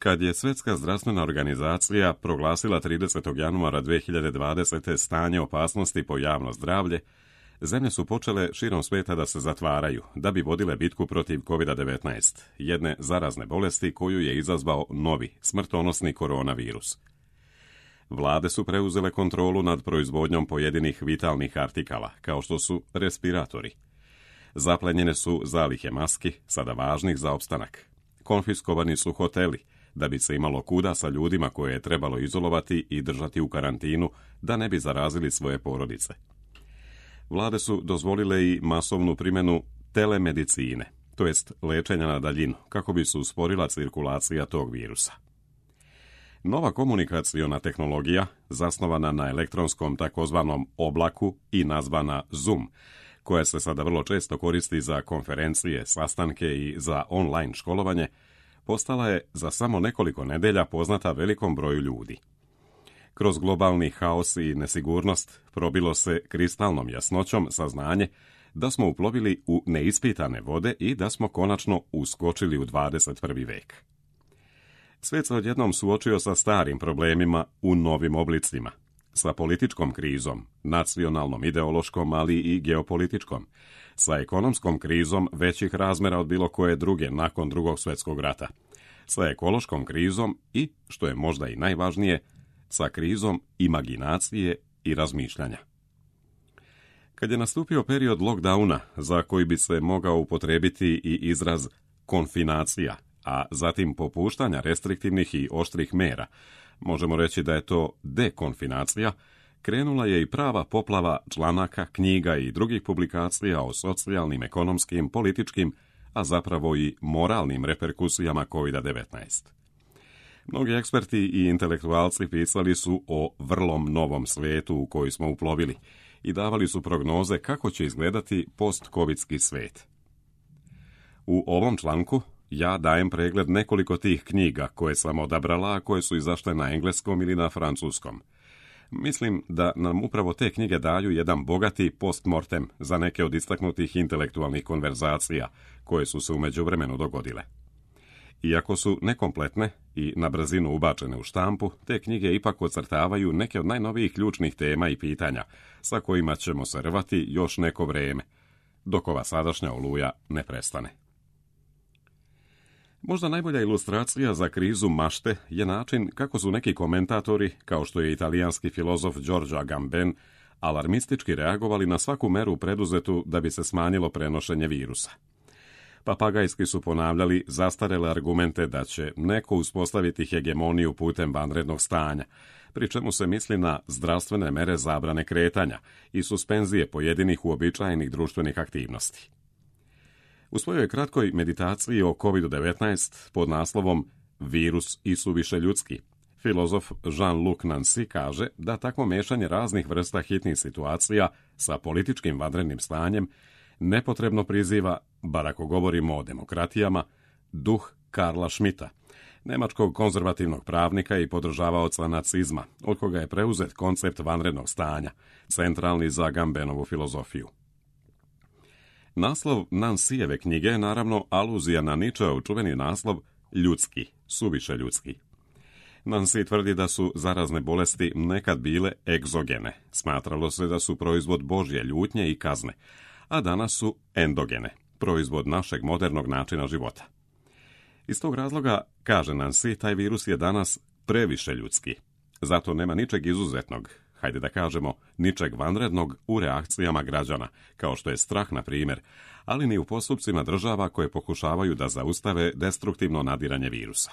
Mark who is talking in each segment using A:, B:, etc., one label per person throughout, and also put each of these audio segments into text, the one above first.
A: Kad je Svjetska zdravstvena organizacija proglasila 30. januara 2020. stanje opasnosti po javno zdravlje, zemlje su počele širom svijeta da se zatvaraju, da bi vodile bitku protiv COVID-19, jedne zarazne bolesti koju je izazvao novi, smrtonosni koronavirus. Vlade su preuzele kontrolu nad proizvodnjom pojedinih vitalnih artikala, kao što su respiratori. Zaplenjene su zalihe maski, sada važnih za opstanak. Konfiskovani su hoteli, da bi se imalo kuda sa ljudima koje je trebalo izolovati i držati u karantinu, da ne bi zarazili svoje porodice. Vlade su dozvolile i masovnu primjenu telemedicine, to jest lečenja na daljinu, kako bi se usporila cirkulacija tog virusa. Nova komunikaciona tehnologija, zasnovana na elektronskom takozvanom oblaku i nazvana Zoom, koja se sada vrlo često koristi za konferencije, sastanke i za online školovanje, postala je za samo nekoliko nedelja poznata velikom broju ljudi. Kroz globalni haos i nesigurnost probilo se kristalnom jasnoćom saznanje da smo uplovili u neispitane vode i da smo konačno uskočili u 21. vek. Svijet se odjednom suočio sa starim problemima u novim oblicima, sa političkom krizom, nacionalnom, ideološkom, ali i geopolitičkom, sa ekonomskom krizom većih razmjera od bilo koje druge nakon Drugog svjetskog rata, sa ekološkom krizom i, što je možda i najvažnije, sa krizom imaginacije i razmišljanja. Kad je nastupio period lockdowna, za koji bi se mogao upotrijebiti i izraz konfinacija, a zatim popuštanja restriktivnih i oštrih mera, možemo reći da je to dekonfinacija, krenula je i prava poplava članaka, knjiga i drugih publikacija o socijalnim, ekonomskim, političkim, a zapravo i moralnim reperkusijama COVID-19. Mnogi eksperti i intelektualci pisali su o vrlo novom svijetu u koji smo uplovili i davali su prognoze kako će izgledati post-covidski svijet. U ovom članku ja dajem pregled nekoliko tih knjiga koje sam odabrala, a koje su izašle na engleskom ili na francuskom. Mislim da nam upravo te knjige daju jedan bogati postmortem za neke od istaknutih intelektualnih konverzacija koje su se u međuvremenu dogodile. Iako su nekompletne i na brzinu ubačene u štampu, te knjige ipak ocrtavaju neke od najnovijih ključnih tema i pitanja sa kojima ćemo se rvati još neko vrijeme, dok ova sadašnja oluja ne prestane. Možda najbolja ilustracija za krizu mašte je način kako su neki komentatori, kao što je italijanski filozof Giorgio Agamben, alarmistički reagovali na svaku meru preduzetu da bi se smanjilo prenošenje virusa. Papagajski su ponavljali zastarele argumente da će neko uspostaviti hegemoniju putem vanrednog stanja, pri čemu se misli na zdravstvene mere zabrane kretanja i suspenzije pojedinih uobičajenih društvenih aktivnosti. U svojoj kratkoj meditaciji o COVID-19 pod naslovom Virus i suviše ljudski, filozof Jean-Luc Nancy kaže da takvo mešanje raznih vrsta hitnih situacija sa političkim vanrednim stanjem nepotrebno priziva, bar ako govorimo o demokratijama, duh Karla Schmitta, nemačkog konzervativnog pravnika i podržavaoca nacizma, od koga je preuzet koncept vanrednog stanja, centralni za Agambenovu filozofiju. Naslov Nancyjeve knjige je naravno aluzija na Nietzscheov čuveni naslov Ljudski, suviše ljudski. Nancy tvrdi da su zarazne bolesti nekad bile egzogene, smatralo se da su proizvod Božje ljutnje i kazne, a danas su endogene, proizvod našeg modernog načina života. Iz tog razloga, kaže Nancy, taj virus je danas previše ljudski. Zato nema ničeg izuzetnog, hajde da kažemo, ničeg vanrednog u reakcijama građana, kao što je strah, na primjer, ali ni u postupcima država koje pokušavaju da zaustave destruktivno nadiranje virusa.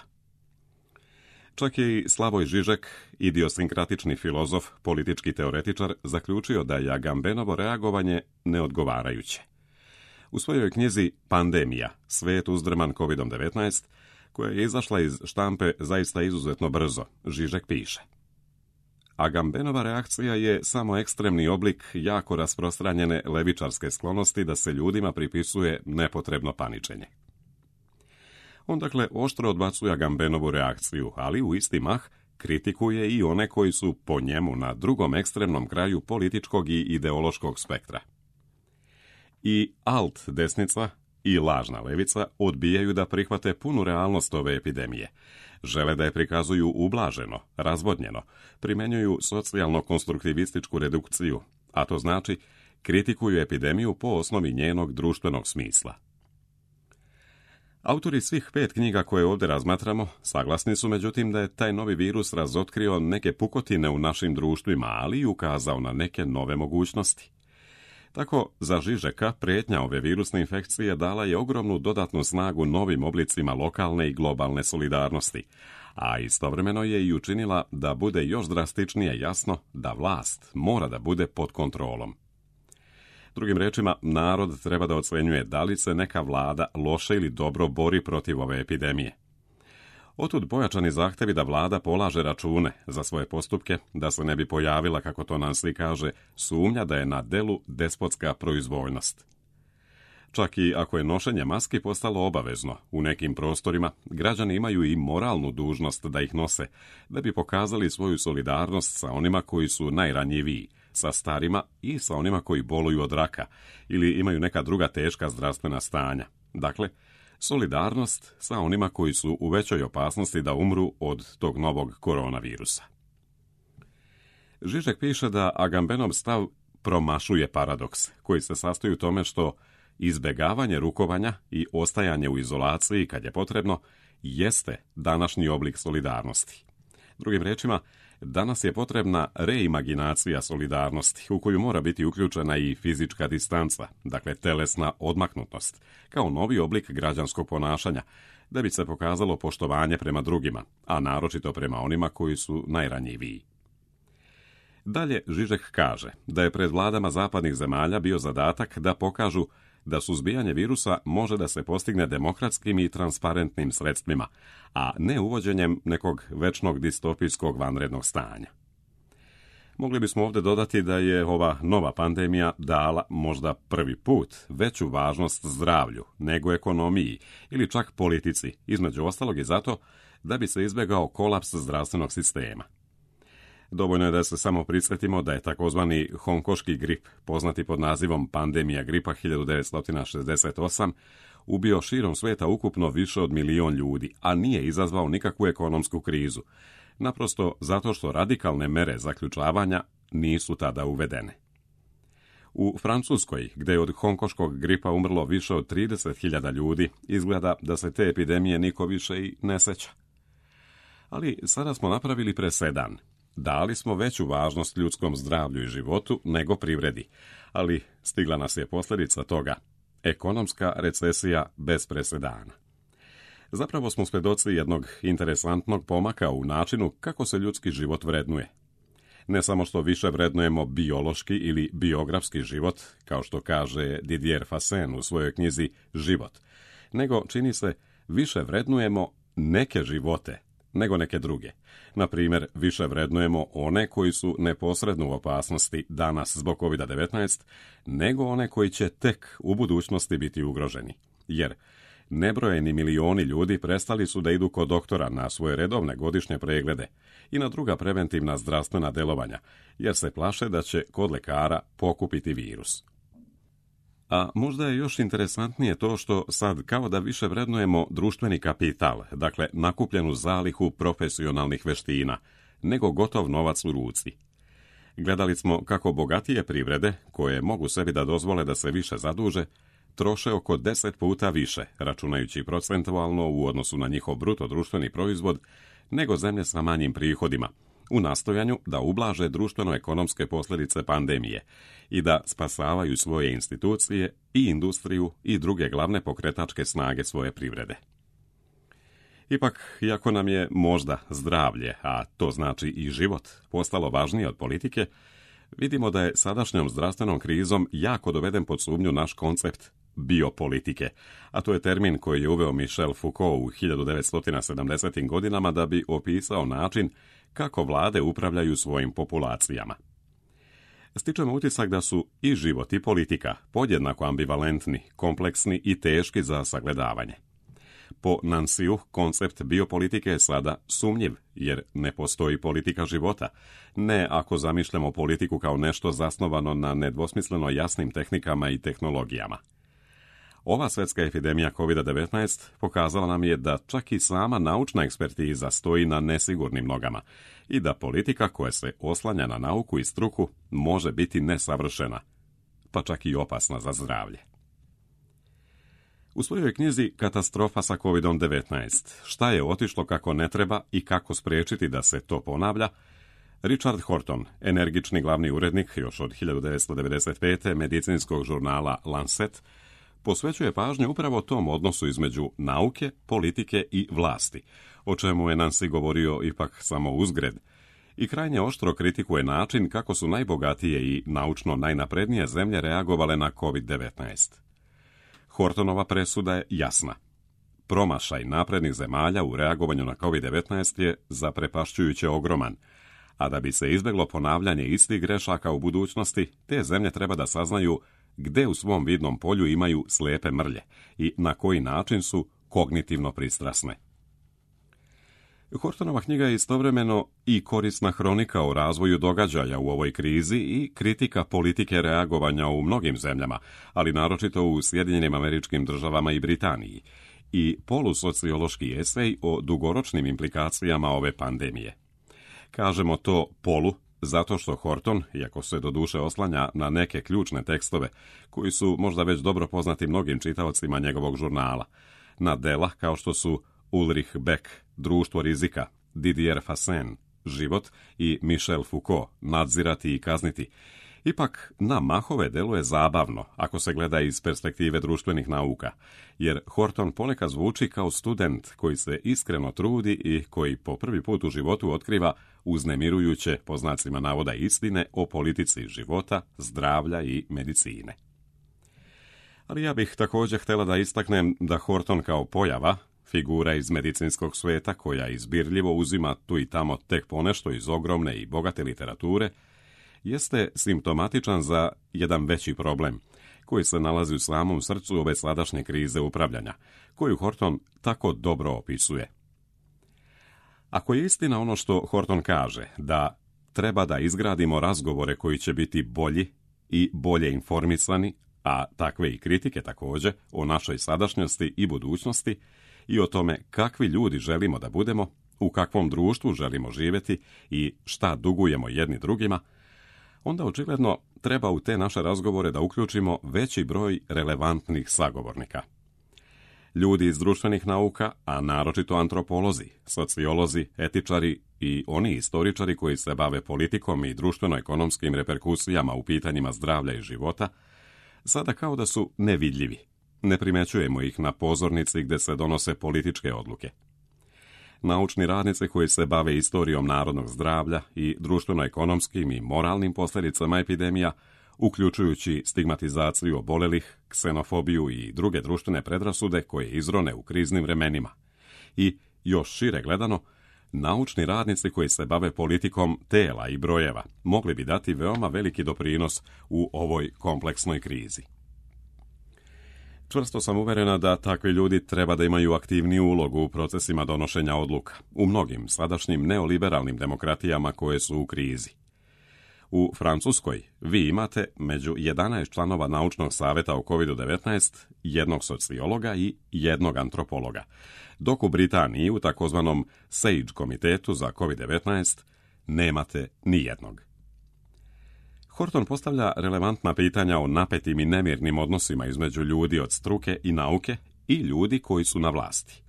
A: Čak je i Slavoj Žižek, idiosinkratični filozof, politički teoretičar, zaključio da je Agambenovo reagovanje neodgovarajuće. U svojoj knjizi Pandemija, svijet uzdrman COVID-19, koja je izašla iz štampe zaista izuzetno brzo, Žižek piše: Agambenova reakcija je samo ekstremni oblik jako rasprostranjene levičarske sklonosti da se ljudima pripisuje nepotrebno paničenje. On dakle oštro odbacuje Agambenovu reakciju, ali u isti mah kritikuje i one koji su po njemu na drugom ekstremnom kraju političkog i ideološkog spektra. I alt desnica i lažna levica odbijaju da prihvate punu realnost ove epidemije. Žele da je prikazuju ublaženo, razvodnjeno, primjenjuju socijalno-konstruktivističku redukciju, a to znači kritikuju epidemiju po osnovi njenog društvenog smisla. Autori svih 5 knjiga koje ovdje razmatramo saglasni su međutim da je taj novi virus razotkrio neke pukotine u našim društvima, ali i ukazao na neke nove mogućnosti. Tako, za Žižeka prijetnja ove virusne infekcije dala je ogromnu dodatnu snagu novim oblicima lokalne i globalne solidarnosti, a istovremeno je i učinila da bude još drastičnije jasno da vlast mora da bude pod kontrolom. Drugim rečima, narod treba da ocenjuje da li se neka vlada loše ili dobro bori protiv ove epidemije. Otud pojačani zahtevi da vlada polaže račune za svoje postupke, da se ne bi pojavila, kako to Nancy kaže, sumnja da je na delu despotska proizvoljnost. Čak i ako je nošenje maski postalo obavezno, u nekim prostorima građani imaju i moralnu dužnost da ih nose, da bi pokazali svoju solidarnost sa onima koji su najranjiviji, sa starima i sa onima koji boluju od raka ili imaju neka druga teška zdravstvena stanja. Dakle, solidarnost sa onima koji su u većoj opasnosti da umru od tog novog koronavirusa. Žižek piše da Agambenov stav promašuje paradoks, koji se sastoji u tome što izbjegavanje rukovanja i ostajanje u izolaciji kad je potrebno jeste današnji oblik solidarnosti. Drugim rečima, danas je potrebna reimaginacija solidarnosti u koju mora biti uključena i fizička distanca, dakle telesna odmaknutost, kao novi oblik građanskog ponašanja, da bi se pokazalo poštovanje prema drugima, a naročito prema onima koji su najranjiviji. Dalje Žižek kaže da je pred vladama zapadnih zemalja bio zadatak da pokažu da suzbijanje virusa može da se postigne demokratskim i transparentnim sredstvima, a ne uvođenjem nekog večnog distopijskog vanrednog stanja. Mogli bismo ovdje dodati da je ova nova pandemija dala možda prvi put veću važnost zdravlju nego ekonomiji ili čak politici, između ostalog i zato da bi se izbjegao kolaps zdravstvenog sistema. Dovoljno je da se samo prisjetimo da je takozvani honkoški grip, poznati pod nazivom pandemija gripa 1968, ubio širom svijeta ukupno više od 1 milion ljudi, a nije izazvao nikakvu ekonomsku krizu, naprosto zato što radikalne mere zaključavanja nisu tada uvedene. U Francuskoj, gdje je od honkoškog gripa umrlo više od 30.000 ljudi, izgleda da se te epidemije niko više i ne seća. Ali sada smo napravili presedan. Dali smo veću važnost ljudskom zdravlju i životu nego privredi, ali stigla nas je posljedica toga. Ekonomska recesija bez presedana. Zapravo smo svjedoci jednog interesantnog pomaka u načinu kako se ljudski život vrednuje. Ne samo što više vrednujemo biološki ili biografski život, kao što kaže Didier Fassin u svojoj knjizi Život, nego čini se više vrednujemo neke živote nego neke druge. Na primjer, više vrednujemo one koji su neposredno u opasnosti danas zbog COVID-19, nego one koji će tek u budućnosti biti ugroženi. Jer nebrojeni milioni ljudi prestali su da idu kod doktora na svoje redovne godišnje preglede i na druga preventivna zdravstvena delovanja, jer se plaše da će kod lekara pokupiti virus. A možda je još interesantnije to što sad kao da više vrednujemo društveni kapital, dakle nakupljenu zalihu profesionalnih veština, nego gotov novac u ruci. Gledali smo kako bogatije privrede, koje mogu sebi da dozvole da se više zaduže, troše oko 10 puta više, računajući procentualno u odnosu na njihov bruto društveni proizvod, nego zemlje sa manjim prihodima, u nastojanju da ublaže društveno-ekonomske posljedice pandemije i da spasavaju svoje institucije i industriju i druge glavne pokretačke snage svoje privrede. Ipak, iako nam je možda zdravlje, a to znači i život, postalo važnije od politike, vidimo da je sadašnjom zdravstvenom krizom jako doveden pod sumnju naš koncept biopolitike, a to je termin koji je uveo Michel Foucault u 1970. godinama da bi opisao način kako vlade upravljaju svojim populacijama. Stičemo utisak da su i život i politika podjednako ambivalentni, kompleksni i teški za sagledavanje. Po Nancyu, koncept biopolitike je sada sumnjiv, jer ne postoji politika života, ne ako zamišljamo politiku kao nešto zasnovano na nedvosmisleno jasnim tehnikama i tehnologijama. Ova svjetska epidemija COVID-19 pokazala nam je da čak i sama naučna ekspertiza stoji na nesigurnim nogama i da politika koja se oslanja na nauku i struku može biti nesavršena, pa čak i opasna za zdravlje. U svojoj knjizi Katastrofa sa COVID-19, šta je otišlo kako ne treba i kako spriječiti da se to ponavlja, Richard Horton, energični glavni urednik još od 1995. medicinskog žurnala Lancet, posvećuje pažnju upravo tom odnosu između nauke, politike i vlasti, o čemu je Nancy govorio ipak samo uzgred, i krajnje oštro kritikuje način kako su najbogatije i naučno najnaprednije zemlje reagovale na COVID-19. Hortonova presuda je jasna. Promašaj naprednih zemalja u reagovanju na COVID-19 je zaprepašćujuće ogroman, a da bi se izbjeglo ponavljanje istih grešaka u budućnosti, te zemlje treba da saznaju gde u svom vidnom polju imaju slijepe mrlje i na koji način su kognitivno pristrasne. Hortonova knjiga je istovremeno i korisna hronika o razvoju događaja u ovoj krizi i kritika politike reagovanja u mnogim zemljama, ali naročito u Sjedinjenim Američkim Državama i Britaniji, i polusociološki esej o dugoročnim implikacijama ove pandemije. Kažemo to polu zato što Horton, iako se doduše oslanja na neke ključne tekstove, koji su možda već dobro poznati mnogim čitaocima njegovog žurnala, na dela kao što su Ulrich Beck, Društvo rizika, Didier Fassin, Život i Michel Foucault, Nadzirati i kazniti, ipak na mahove deluje zabavno ako se gleda iz perspektive društvenih nauka, jer Horton ponekad zvuči kao student koji se iskreno trudi i koji po prvi put u životu otkriva uznemirujuće, po znacima navoda, istine o politici života, zdravlja i medicine. Ali ja bih također htjela da istaknem da Horton kao pojava, figura iz medicinskog svijeta koja izbirljivo uzima tu i tamo tek ponešto iz ogromne i bogate literature, jeste simptomatičan za jedan veći problem, koji se nalazi u samom srcu ove sadašnje krize upravljanja, koju Horton tako dobro opisuje. Ako je istina ono što Horton kaže, da treba da izgradimo razgovore koji će biti bolji i bolje informisani, a takve i kritike također, o našoj sadašnjosti i budućnosti i o tome kakvi ljudi želimo da budemo, u kakvom društvu želimo živjeti i šta dugujemo jedni drugima, onda očigledno treba u te naše razgovore da uključimo veći broj relevantnih sagovornika. Ljudi iz društvenih nauka, a naročito antropolozi, sociolozi, etičari i oni istoričari koji se bave politikom i društveno-ekonomskim reperkusijama u pitanjima zdravlja i života, sada kao da su nevidljivi. Ne primećujemo ih na pozornici gdje se donose političke odluke. Naučni radnici koji se bave istorijom narodnog zdravlja i društveno-ekonomskim i moralnim posljedicama epidemija, uključujući stigmatizaciju obolelih, ksenofobiju i druge društvene predrasude koje izrone u kriznim vremenima. I, još šire gledano, naučni radnici koji se bave politikom tela i brojeva mogli bi dati veoma veliki doprinos u ovoj kompleksnoj krizi. Čvrsto sam uverena da takvi ljudi treba da imaju aktivniju ulogu u procesima donošenja odluka, u mnogim sadašnjim neoliberalnim demokratijama koje su u krizi. U Francuskoj vi imate među 11 članova naučnog savjeta o COVID-19 jednog sociologa i jednog antropologa, dok u Britaniji u takozvanom SAGE komitetu za COVID-19 nemate ni jednog. Horton postavlja relevantna pitanja o napetim i nemirnim odnosima između ljudi od struke i nauke i ljudi koji su na vlasti.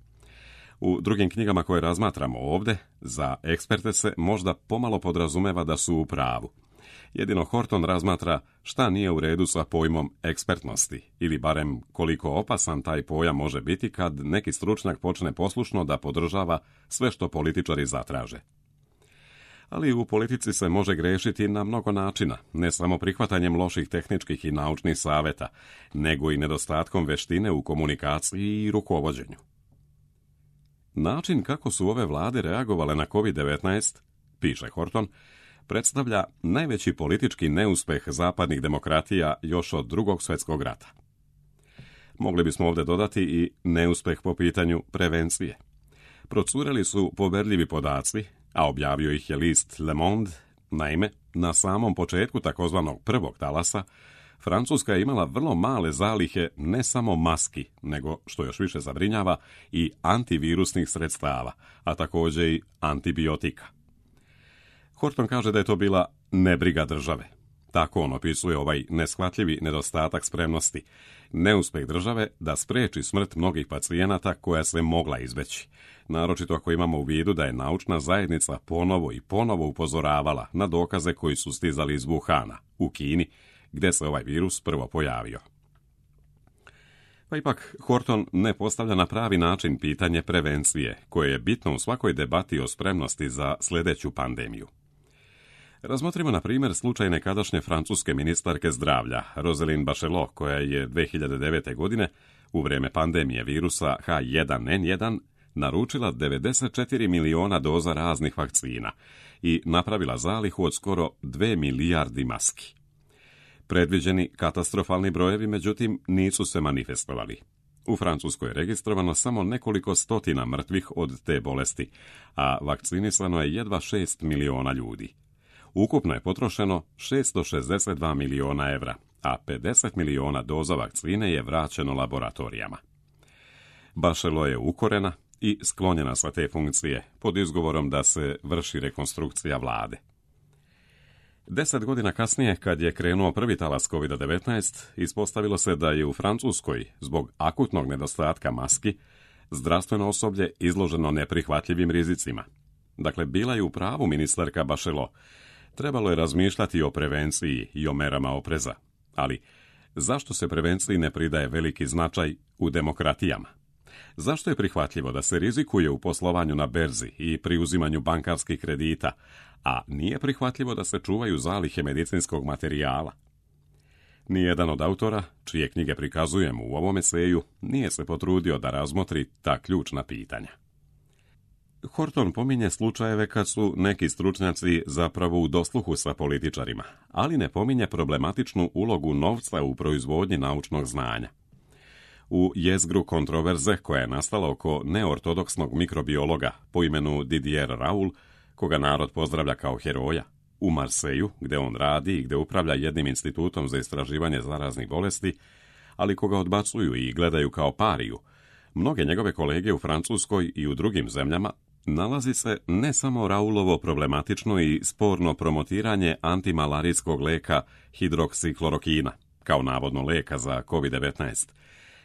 A: U drugim knjigama koje razmatramo ovdje, za eksperte se možda pomalo podrazumeva da su u pravu. Jedino Horton razmatra šta nije u redu sa pojmom ekspertnosti, ili barem koliko opasan taj pojam može biti kad neki stručnjak počne poslušno da podržava sve što političari zatraže. Ali u politici se može grešiti na mnogo načina, ne samo prihvatanjem loših tehničkih i naučnih savjeta, nego i nedostatkom veštine u komunikaciji i rukovođenju. Način kako su ove vlade reagovale na COVID-19, piše Horton, predstavlja najveći politički neuspeh zapadnih demokratija još od Drugog svjetskog rata. Mogli bismo ovdje dodati i neuspeh po pitanju prevencije. Procureli su poverljivi podaci, a objavio ih je list Le Monde. Naime, na samom početku takozvanog prvog talasa, Francuska je imala vrlo male zalihe ne samo maski, nego, što još više zabrinjava, i antivirusnih sredstava, a također i antibiotika. Horton kaže da je to bila nebriga države. Tako on opisuje ovaj neshvatljivi nedostatak spremnosti, neuspjeh države da spriječi smrt mnogih pacijenata koja se mogla izbjeći. Naročito ako imamo u vidu da je naučna zajednica ponovo i ponovo upozoravala na dokaze koji su stizali iz Wuhana, u Kini, gdje se ovaj virus prvo pojavio. Pa ipak, Horton ne postavlja na pravi način pitanje prevencije, koje je bitno u svakoj debati o spremnosti za sljedeću pandemiju. Razmotrimo, na primjer, slučaj nekadašnje francuske ministarke zdravlja, Roselyne Bachelot, koja je 2009. godine, u vrijeme pandemije virusa H1N1, naručila 94 miliona doza raznih vakcina i napravila zalihu od skoro 2 milijardi maski. Predviđeni katastrofalni brojevi, međutim, nisu se manifestovali. U Francuskoj je registrovano samo nekoliko stotina mrtvih od te bolesti, a vakcinisano je jedva 6 miliona ljudi. Ukupno je potrošeno 662 miliona evra, a 50 miliona doza vakcine je vraćeno laboratorijama. Bachelot je ukorena i sklonjena sa te funkcije, pod izgovorom da se vrši rekonstrukcija vlade. 10 godina kasnije, kad je krenuo prvi talas COVID-19, ispostavilo se da je u Francuskoj, zbog akutnog nedostatka maski, zdravstveno osoblje izloženo neprihvatljivim rizicima. Dakle, bila je u pravu ministarka Bachelot. Trebalo je razmišljati o prevenciji i o merama opreza. Ali, zašto se prevenciji ne pridaje veliki značaj u demokratijama? Zašto je prihvatljivo da se rizikuje u poslovanju na berzi i pri uzimanju bankarskih kredita, a nije prihvatljivo da se čuvaju zalihe medicinskog materijala? Nijedan od autora, čije knjige prikazujemo u ovom eseju, nije se potrudio da razmotri ta ključna pitanja. Horton pominje slučajeve kad su neki stručnjaci zapravo u dosluhu sa političarima, ali ne pominje problematičnu ulogu novca u proizvodnji naučnog znanja. U jezgru kontroverze koja je nastala oko neortodoksnog mikrobiologa po imenu Didier Raoul, koga narod pozdravlja kao heroja, u Marseju, gdje on radi i gdje upravlja jednim institutom za istraživanje zaraznih bolesti, ali koga odbacuju i gledaju kao pariju, mnoge njegove kolege u Francuskoj i u drugim zemljama nalazi se ne samo Raulovo problematično i sporno promotiranje antimalarijskog leka hidroksiklorokina, kao navodno leka za COVID-19,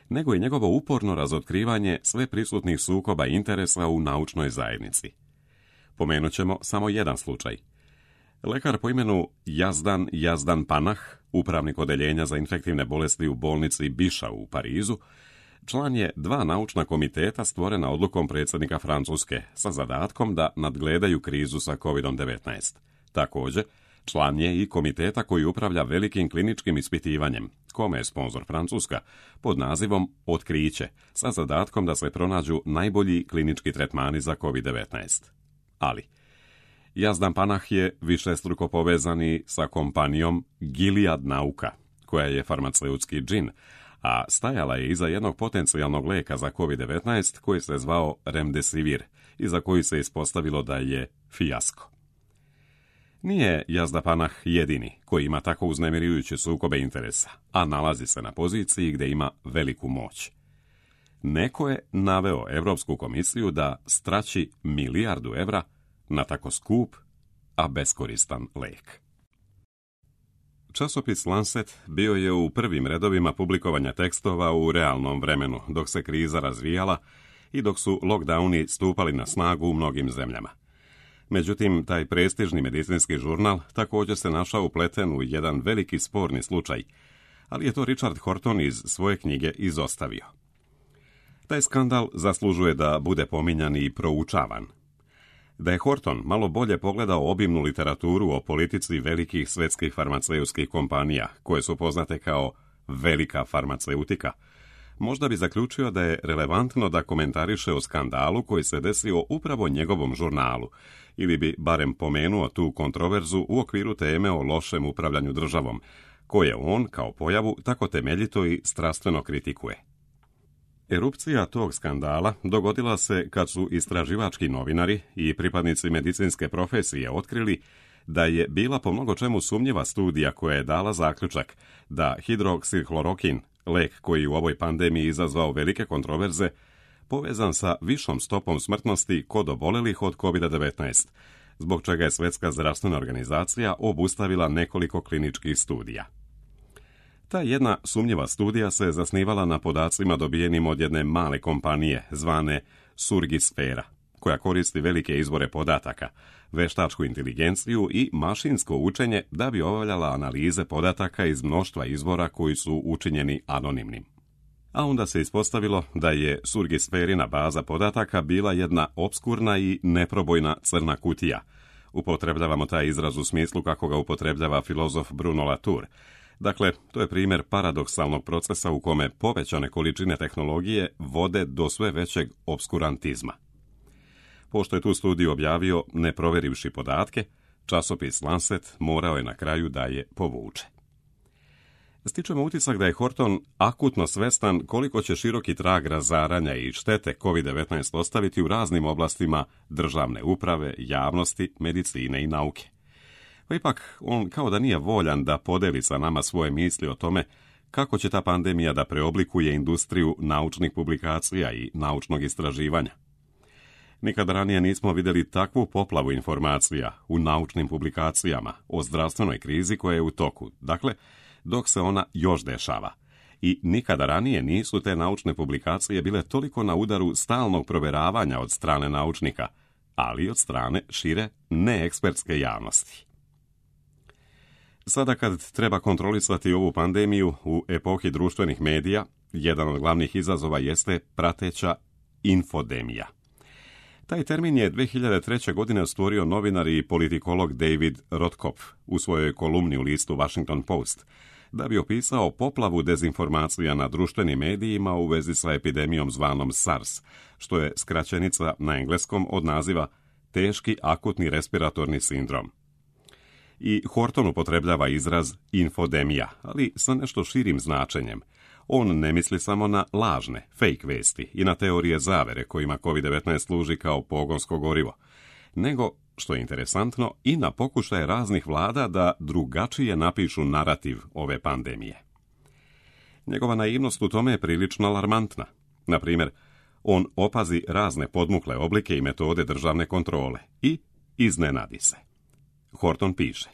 A: nego i njegovo uporno razotkrivanje sve prisutnih sukoba interesa u naučnoj zajednici. Pomenut ćemo samo jedan slučaj. Lekar po imenu Yazdan Panah, upravnik odeljenja za infektivne bolesti u bolnici Bichat u Parizu, član je 2 naučna komiteta stvorena odlukom predsjednika Francuske sa zadatkom da nadgledaju krizu sa COVID-19. Također, član je i komiteta koji upravlja velikim kliničkim ispitivanjem, kome je sponzor Francuska, pod nazivom Otkriće, sa zadatkom da se pronađu najbolji klinički tretmani za COVID-19. Ali, Yazdan Panah je višestruko povezani sa kompanijom Gilead Nauka, koja je farmaceutski džin, a stajala je iza jednog potencijalnog lijeka za COVID-19 koji se zvao Remdesivir i za koji se ispostavilo da je fijasko. Nije Yazdan Panah jedini koji ima tako uznemirujuće sukobe interesa, a nalazi se na poziciji gdje ima veliku moć. Neko je naveo Europsku komisiju da strači 1 milijardu evra na tako skup, a beskoristan lijek. Časopis Lancet bio je u prvim redovima publikovanja tekstova u realnom vremenu, dok se kriza razvijala i dok su lockdowni stupali na snagu u mnogim zemljama. Međutim, taj prestižni medicinski žurnal također se našao upleten u jedan veliki sporni slučaj, ali je to Richard Horton iz svoje knjige izostavio. Taj skandal zaslužuje da bude pominjan i proučavan. Da je Horton malo bolje pogledao obimnu literaturu o politici velikih svjetskih farmaceutskih kompanija, koje su poznate kao velika farmaceutika, možda bi zaključio da je relevantno da komentariše o skandalu koji se desio upravo njegovom žurnalu, ili bi barem pomenuo tu kontroverzu u okviru teme o lošem upravljanju državom, koje on, kao pojavu, tako temeljito i strastveno kritikuje. Erupcija tog skandala dogodila se kad su istraživački novinari i pripadnici medicinske profesije otkrili da je bila po mnogo čemu sumnjiva studija koja je dala zaključak da hidroksihlorokin, lek koji u ovoj pandemiji izazvao velike kontroverze, povezan sa višom stopom smrtnosti kod obolelih od COVID-19, zbog čega je Svjetska zdravstvena organizacija obustavila nekoliko kliničkih studija. Ta jedna sumnjiva studija se zasnivala na podacima dobijenim od jedne male kompanije zvane Surgisfera, koja koristi velike izvore podataka, veštačku inteligenciju i mašinsko učenje da bi obavljala analize podataka iz mnoštva izvora koji su učinjeni anonimnim. A onda se ispostavilo da je Surgisferina baza podataka bila jedna opskurna i neprobojna crna kutija. Upotrebljavamo taj izraz u smislu kako ga upotrebljava filozof Bruno Latour. Dakle, to je primjer paradoksalnog procesa u kome povećane količine tehnologije vode do sve većeg opskurantizma. Pošto je tu studiju objavio ne proverivši podatke, časopis Lancet morao je na kraju da je povuče. Stičemo utisak da je Horton akutno svestan koliko će široki trag razaranja i štete COVID-19 ostaviti u raznim oblastima državne uprave, javnosti, medicine i nauke. Pa ipak, on kao da nije voljan da podeli sa nama svoje misli o tome kako će ta pandemija da preoblikuje industriju naučnih publikacija i naučnog istraživanja. Nikada ranije nismo vidjeli takvu poplavu informacija u naučnim publikacijama o zdravstvenoj krizi koja je u toku, dakle, dok se ona još dešava. I nikada ranije nisu te naučne publikacije bile toliko na udaru stalnog provjeravanja od strane naučnika, ali i od strane šire neekspertske javnosti. Sada kad treba kontrolisati ovu pandemiju u epohi društvenih medija, jedan od glavnih izazova jeste prateća infodemija. Taj termin je 2003. godine stvorio novinar i politikolog David Rotkopf u svojoj kolumni u listu Washington Post, da bi opisao poplavu dezinformacija na društvenim medijima u vezi sa epidemijom zvanom SARS, što je skraćenica na engleskom od naziva teški akutni respiratorni sindrom. I Horton upotrebljava izraz infodemija, ali sa nešto širim značenjem. On ne misli samo na lažne, fake vesti i na teorije zavere kojima COVID-19 služi kao pogonsko gorivo, nego, što je interesantno, i na pokušaje raznih vlada da drugačije napišu narativ ove pandemije. Njegova naivnost u tome je prilično alarmantna. Na primjer, on opazi razne podmukle oblike i metode državne kontrole i iznenadi se. Horton piše: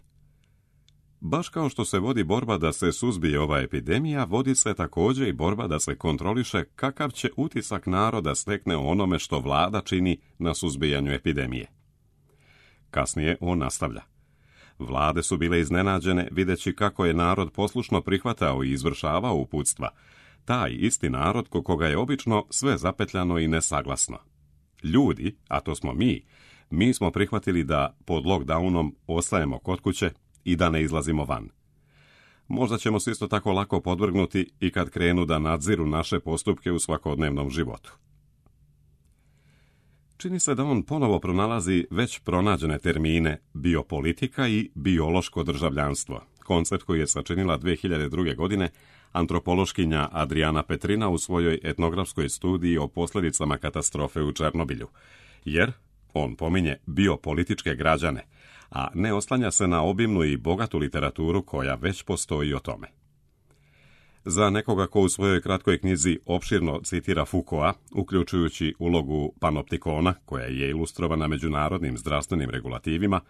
A: baš kao što se vodi borba da se suzbije ova epidemija, vodi se također i borba da se kontroliše kakav će utisak naroda stekne o onome što vlada čini na suzbijanju epidemije. Kasnije on nastavlja: vlade su bile iznenađene videći kako je narod poslušno prihvatao i izvršavao uputstva, taj isti narod koga je obično sve zapetljano i nesaglasno. Ljudi, a to smo mi smo prihvatili da pod lockdownom ostajemo kod kuće i da ne izlazimo van. Možda ćemo se isto tako lako podvrgnuti i kad krenu da nadziru naše postupke u svakodnevnom životu. Čini se da on ponovo pronalazi već pronađene termine biopolitika i biološko državljanstvo, koncept koji je sačinila 2002. godine antropološkinja Adriana Petrina u svojoj etnografskoj studiji o posljedicama katastrofe u Černobilju, jer on pominje biopolitičke građane, a ne oslanja se na obimnu i bogatu literaturu koja već postoji o tome. Za nekoga ko u svojoj kratkoj knjizi opširno citira Foucaulta, uključujući ulogu panoptikona, koja je ilustrovana međunarodnim zdravstvenim regulativima,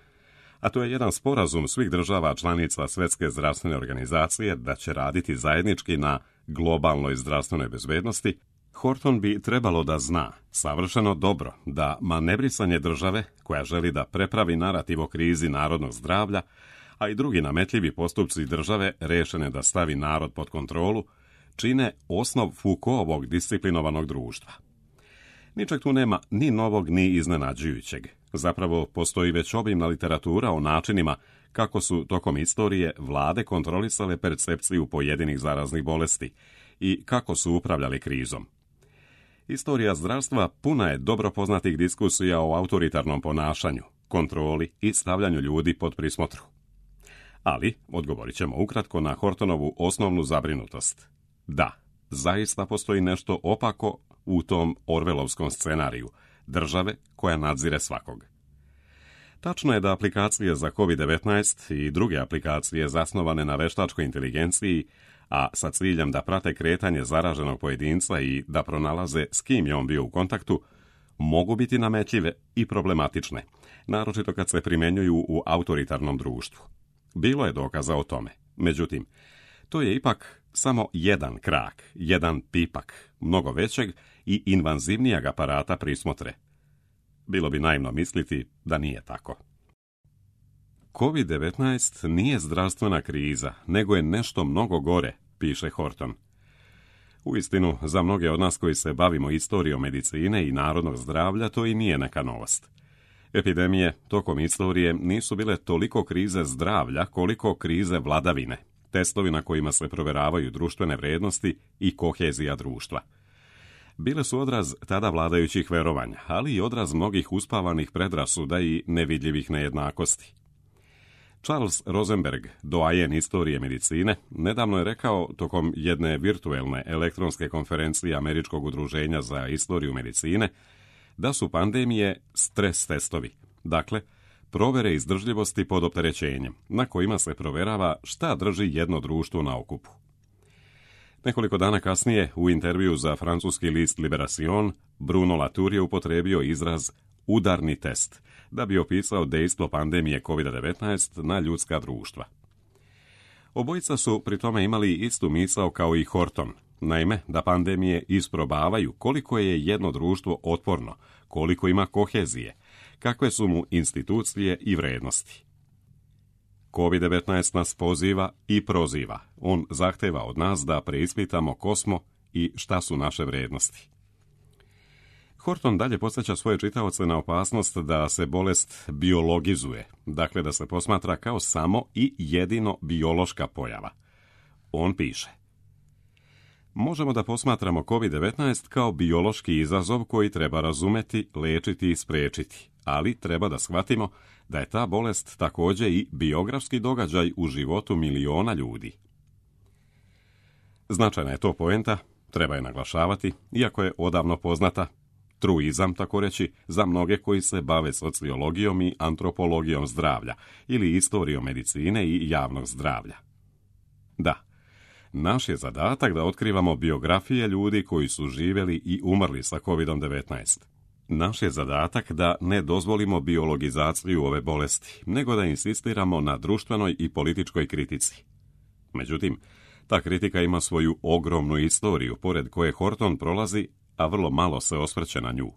A: a to je jedan sporazum svih država članica Svjetske zdravstvene organizacije da će raditi zajednički na globalnoj zdravstvenoj bezbednosti, Horton bi trebalo da zna savršeno dobro da manevrisanje države koja želi da prepravi narativ o krizi narodnog zdravlja, a i drugi nametljivi postupci države rešene da stavi narod pod kontrolu, čine osnov Foucaultovog disciplinovanog društva. Ničeg tu nema ni novog ni iznenađujućeg. Zapravo postoji već obimna literatura o načinima kako su tokom istorije vlade kontrolisale percepciju pojedinih zaraznih bolesti i kako su upravljali krizom. Istorija zdravstva puna je dobro poznatih diskusija o autoritarnom ponašanju, kontroli i stavljanju ljudi pod prismotru. Ali, odgovorit ćemo ukratko na Hortonovu osnovnu zabrinutost. Da, zaista postoji nešto opako u tom orvelovskom scenariju, države koja nadzire svakog. Tačno je da aplikacije za COVID-19 i druge aplikacije zasnovane na veštačkoj inteligenciji, a sa ciljem da prate kretanje zaraženog pojedinca i da pronalaze s kim je on bio u kontaktu, mogu biti nametljive i problematične, naročito kad se primjenjuju u autoritarnom društvu. Bilo je dokaza o tome. Međutim, to je ipak samo jedan krak, jedan pipak, mnogo većeg i invazivnijeg aparata prismotre. Bilo bi naivno misliti da nije tako. COVID-19 nije zdravstvena kriza, nego je nešto mnogo gore, piše Horton. Uistinu, za mnoge od nas koji se bavimo istorijom medicine i narodnog zdravlja, to i nije neka novost. Epidemije tokom istorije nisu bile toliko krize zdravlja koliko krize vladavine, testovi na kojima se proveravaju društvene vrednosti i kohezija društva. Bile su odraz tada vladajućih verovanja, ali i odraz mnogih uspavanih predrasuda i nevidljivih nejednakosti. Charles Rosenberg, doajen istorije medicine, nedavno je rekao tokom jedne virtuelne elektronske konferencije Američkog udruženja za istoriju medicine da su pandemije stres testovi, dakle, provere izdržljivosti pod opterećenjem, na kojima se proverava šta drži jedno društvo na okupu. Nekoliko dana kasnije, u intervju za francuski list Libération, Bruno Latour je upotrebio izraz udarni test, da bi opisao dejstvo pandemije COVID-19 na ljudska društva. Obojica su pri tome imali istu misao kao i Horton, naime da pandemije isprobavaju koliko je jedno društvo otporno, koliko ima kohezije, kakve su mu institucije i vrednosti. COVID-19 nas poziva i proziva. On zahteva od nas da preispitamo ko smo i šta su naše vrednosti. Horton dalje podsjeća svoje čitaoce na opasnost da se bolest biologizuje, dakle da se posmatra kao samo i jedino biološka pojava. On piše: možemo da posmatramo COVID-19 kao biološki izazov koji treba razumeti, lečiti i spriječiti, ali treba da shvatimo da je ta bolest također i biografski događaj u životu miliona ljudi. Značajna je to poenta, treba je naglašavati, iako je odavno poznata, truizam, tako reći, za mnoge koji se bave sociologijom i antropologijom zdravlja ili istorijom medicine i javnog zdravlja. Da, naš je zadatak da otkrivamo biografije ljudi koji su živjeli i umrli sa COVID-19. Naš je zadatak da ne dozvolimo biologizaciju ove bolesti, nego da insistiramo na društvenoj i političkoj kritici. Međutim, ta kritika ima svoju ogromnu istoriju, pored koje Horton prolazi, a vrlo malo se osvrće na nju.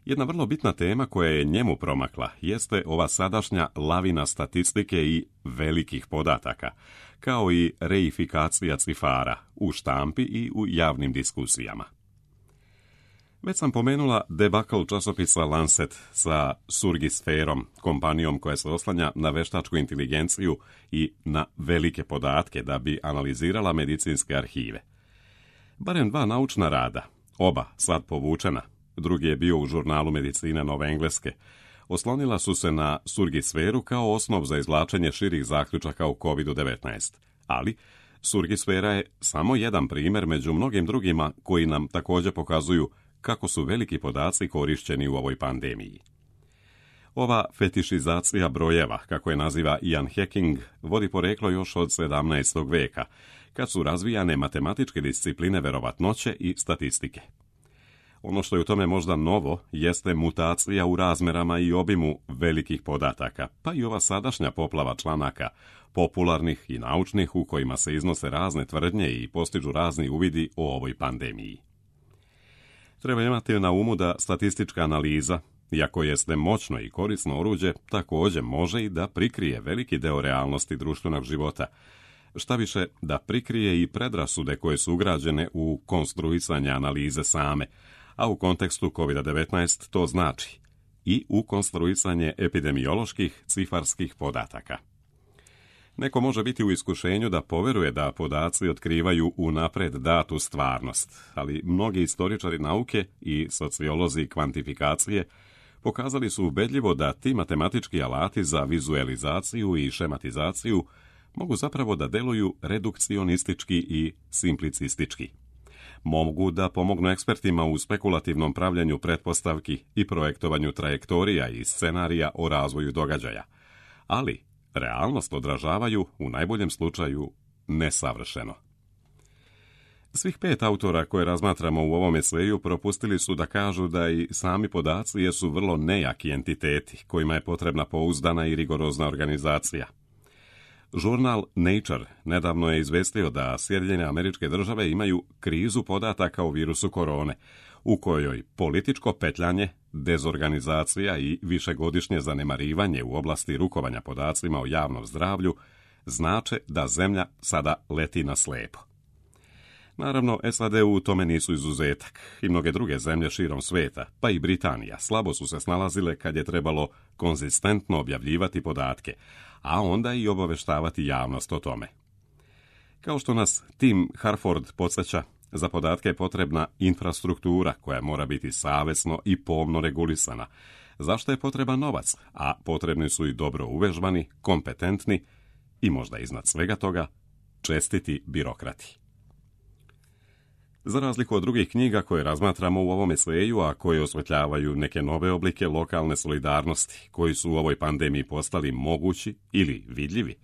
A: Jedna vrlo bitna tema koja je njemu promakla jeste ova sadašnja lavina statistike i velikih podataka, kao i reifikacija cifara u štampi i u javnim diskusijama. Već sam pomenula debakl časopisa Lancet sa Surgisferom, kompanijom koja se oslanja na veštačku inteligenciju i na velike podatke da bi analizirala medicinske arhive. Barem 2 naučna rada, oba sad povučena, drugi je bio u žurnalu Medicine Nove Engleske, oslonila su se na Surgisferu kao osnov za izvlačenje širih zaključaka u COVID-19, ali Surgisfera je samo jedan primjer među mnogim drugima koji nam također pokazuju kako su veliki podaci korišćeni u ovoj pandemiji. Ova fetišizacija brojeva, kako je naziva Ian Hacking, vodi poreklo još od 17. veka, kad su razvijane matematičke discipline verovatnoće i statistike. Ono što je u tome možda novo jeste mutacija u razmerama i obimu velikih podataka, pa i ova sadašnja poplava članaka, popularnih i naučnih u kojima se iznose razne tvrdnje i postižu razni uvidi o ovoj pandemiji. Treba imati na umu da statistička analiza, iako jeste moćno i korisno oruđe, također može i da prikrije veliki deo realnosti društvenog života, šta više da prikrije i predrasude koje su ugrađene u konstruisanje analize same, a u kontekstu COVID-19 to znači i u konstruisanje epidemioloških cifarskih podataka. Neko može biti u iskušenju da poveruje da podaci otkrivaju unapred datu stvarnost, ali mnogi istoričari nauke i sociolozi kvantifikacije pokazali su ubedljivo da ti matematički alati za vizualizaciju i šematizaciju mogu zapravo da deluju redukcionistički i simplicistički. mogu da pomognu ekspertima u spekulativnom pravljenju pretpostavki i projektovanju trajektorija i scenarija o razvoju događaja, ali realnost odražavaju, u najboljem slučaju, nesavršeno. Svih 5 autora koje razmatramo u ovom eseju propustili su da kažu da i sami podaci jesu vrlo nejaki entiteti kojima je potrebna pouzdana i rigorozna organizacija. Žurnal Nature nedavno je izvestio da Sjedinjene Američke Države imaju krizu podataka o virusu korone, u kojoj političko petljanje, dezorganizacija i višegodišnje zanemarivanje u oblasti rukovanja podacima o javnom zdravlju znače da zemlja sada leti na slepo. Naravno, SAD u tome nisu izuzetak i mnoge druge zemlje širom sveta, pa i Britanija, slabo su se snalazile kad je trebalo konzistentno objavljivati podatke, a onda i obaveštavati javnost o tome. Kao što nas Tim Harford podsjeća, za podatke je potrebna infrastruktura koja mora biti savjesno i pomno regulisana, zašto je potreban novac, a potrebni su i dobro uvežbani, kompetentni i možda iznad svega toga čestiti birokrati. Za razliku od drugih knjiga koje razmatramo u ovom eseju, a koje osvetljavaju neke nove oblike lokalne solidarnosti koji su u ovoj pandemiji postali mogući ili vidljivi,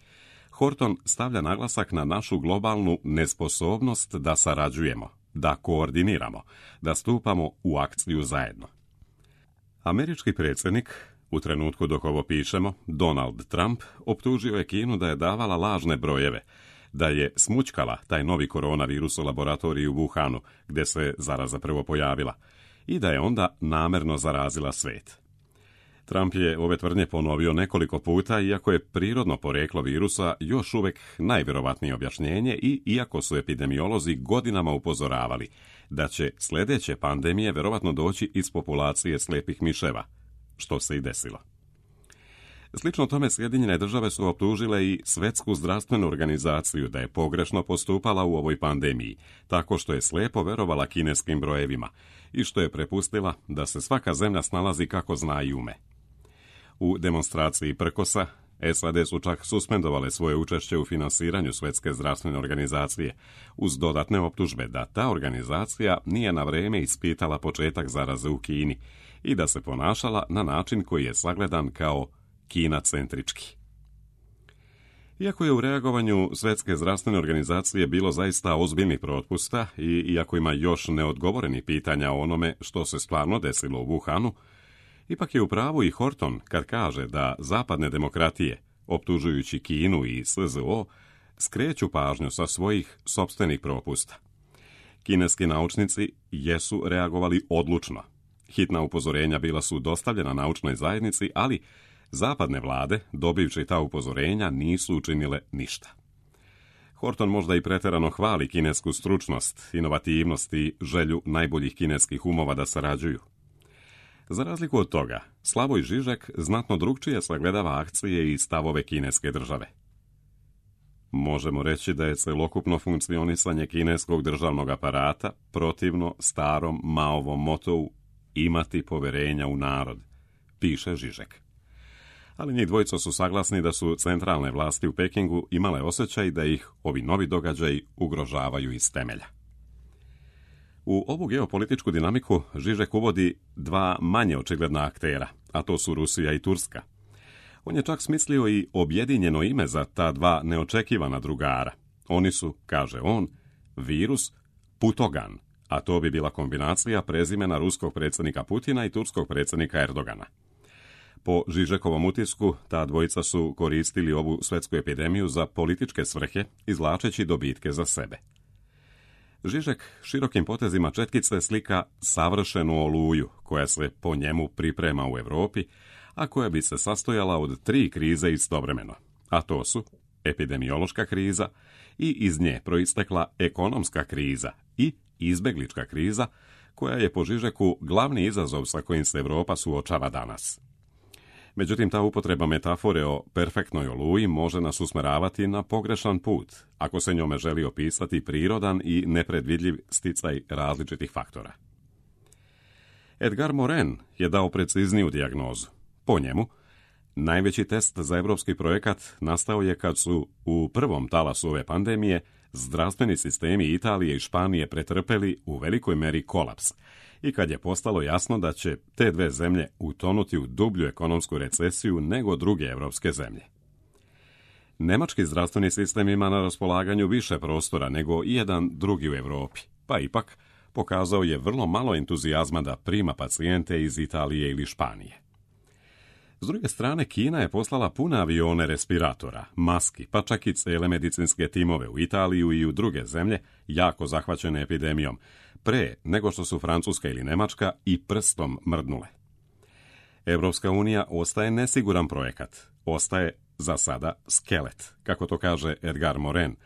A: Horton stavlja naglasak na našu globalnu nesposobnost da sarađujemo, da koordiniramo, da stupamo u akciju zajedno. Američki predsjednik, u trenutku dok ovo pišemo, Donald Trump, optužio je Kinu da je davala lažne brojeve, da je smućkala taj novi koronavirus u laboratoriji u Wuhanu, gdje se zaraza prvo pojavila, i da je onda namerno zarazila svijet. Trump je ove tvrdnje ponovio nekoliko puta, iako je prirodno poreklo virusa još uvijek najvjerovatnije objašnjenje i iako su epidemiolozi godinama upozoravali da će sljedeće pandemije vjerovatno doći iz populacije slijepih miševa, što se i desilo. Slično tome Sjedinjene Države su optužile i Svjetsku zdravstvenu organizaciju da je pogrešno postupala u ovoj pandemiji, tako što je slijepo verovala kineskim brojevima i što je prepustila da se svaka zemlja snalazi kako zna i ume. U demonstraciji prkosa, SAD su čak suspendovale svoje učešće u finansiranju Svjetske zdravstvene organizacije, uz dodatne optužbe da ta organizacija nije na vrijeme ispitala početak zaraze u Kini i da se ponašala na način koji je sagledan kao Kina-centrički. Iako je u reagovanju Svjetske zdravstvene organizacije bilo zaista ozbiljnih propusta i iako ima još neodgovorenih pitanja o onome što se stvarno desilo u Wuhanu, ipak je u pravu i Horton kad kaže da zapadne demokratije, optužujući Kinu i SZO, skreću pažnju sa svojih sopstvenih propusta. Kineski naučnici jesu reagovali odlučno. Hitna upozorenja bila su dostavljena naučnoj zajednici, ali zapadne vlade, dobivši ta upozorenja, nisu učinile ništa. Horton možda i pretjerano hvali kinesku stručnost, inovativnost i želju najboljih kineskih umova da sarađuju. Za razliku od toga, Slavoj Žižek znatno drukčije sagledava akcije i stavove kineske države. Možemo reći da je celokupno funkcionisanje kineskog državnog aparata protivno starom Maovom motou imati poverenja u narod, piše Žižek. Ali njih dvojica su saglasni da su centralne vlasti u Pekingu imale osjećaj da ih ovi novi događaji ugrožavaju iz temelja. U ovu geopolitičku dinamiku Žižek uvodi 2 manje očigledna aktera, a to su Rusija i Turska. On je čak smislio i objedinjeno ime za ta 2 neočekivana drugara. Oni su, kaže on, virus Putogan, a to bi bila kombinacija prezimena ruskog predsjednika Putina i turskog predsjednika Erdogana. Po Žižekovom utisku, ta dvojica su koristili ovu svjetsku epidemiju za političke svrhe, izvlačeći dobitke za sebe. Žižek širokim potezima četkice slika savršenu oluju, koja se po njemu priprema u Europi, a koja bi se sastojala od 3 krize istovremeno, a to su epidemiološka kriza i iz nje proistekla ekonomska kriza i izbeglička kriza, koja je po Žižeku glavni izazov sa kojim se Europa suočava danas. Međutim, ta upotreba metafore o perfektnoj oluji može nas usmeravati na pogrešan put, ako se njome želi opisati prirodan i nepredvidljiv sticaj različitih faktora. Edgar Morin je dao precizniju dijagnozu. Po njemu, najveći test za europski projekat nastao je kad su u prvom talasu ove pandemije zdravstveni sistemi Italije i Španije pretrpeli u velikoj meri kolaps i kad je postalo jasno da će te dve zemlje utonuti u dublju ekonomsku recesiju nego druge evropske zemlje. Nemački zdravstveni sistem ima na raspolaganju više prostora nego i jedan drugi u Europi, pa ipak pokazao je vrlo malo entuzijazma da prima pacijente iz Italije ili Španije. S druge strane, Kina je poslala pune avione respiratora, maski, pa čak i cele medicinske timove u Italiju i u druge zemlje jako zahvaćene epidemijom, pre nego što su Francuska ili Nemačka i prstom mrdnule. Evropska unija ostaje nesiguran projekat, ostaje za sada skelet, kako to kaže Edgar Morin,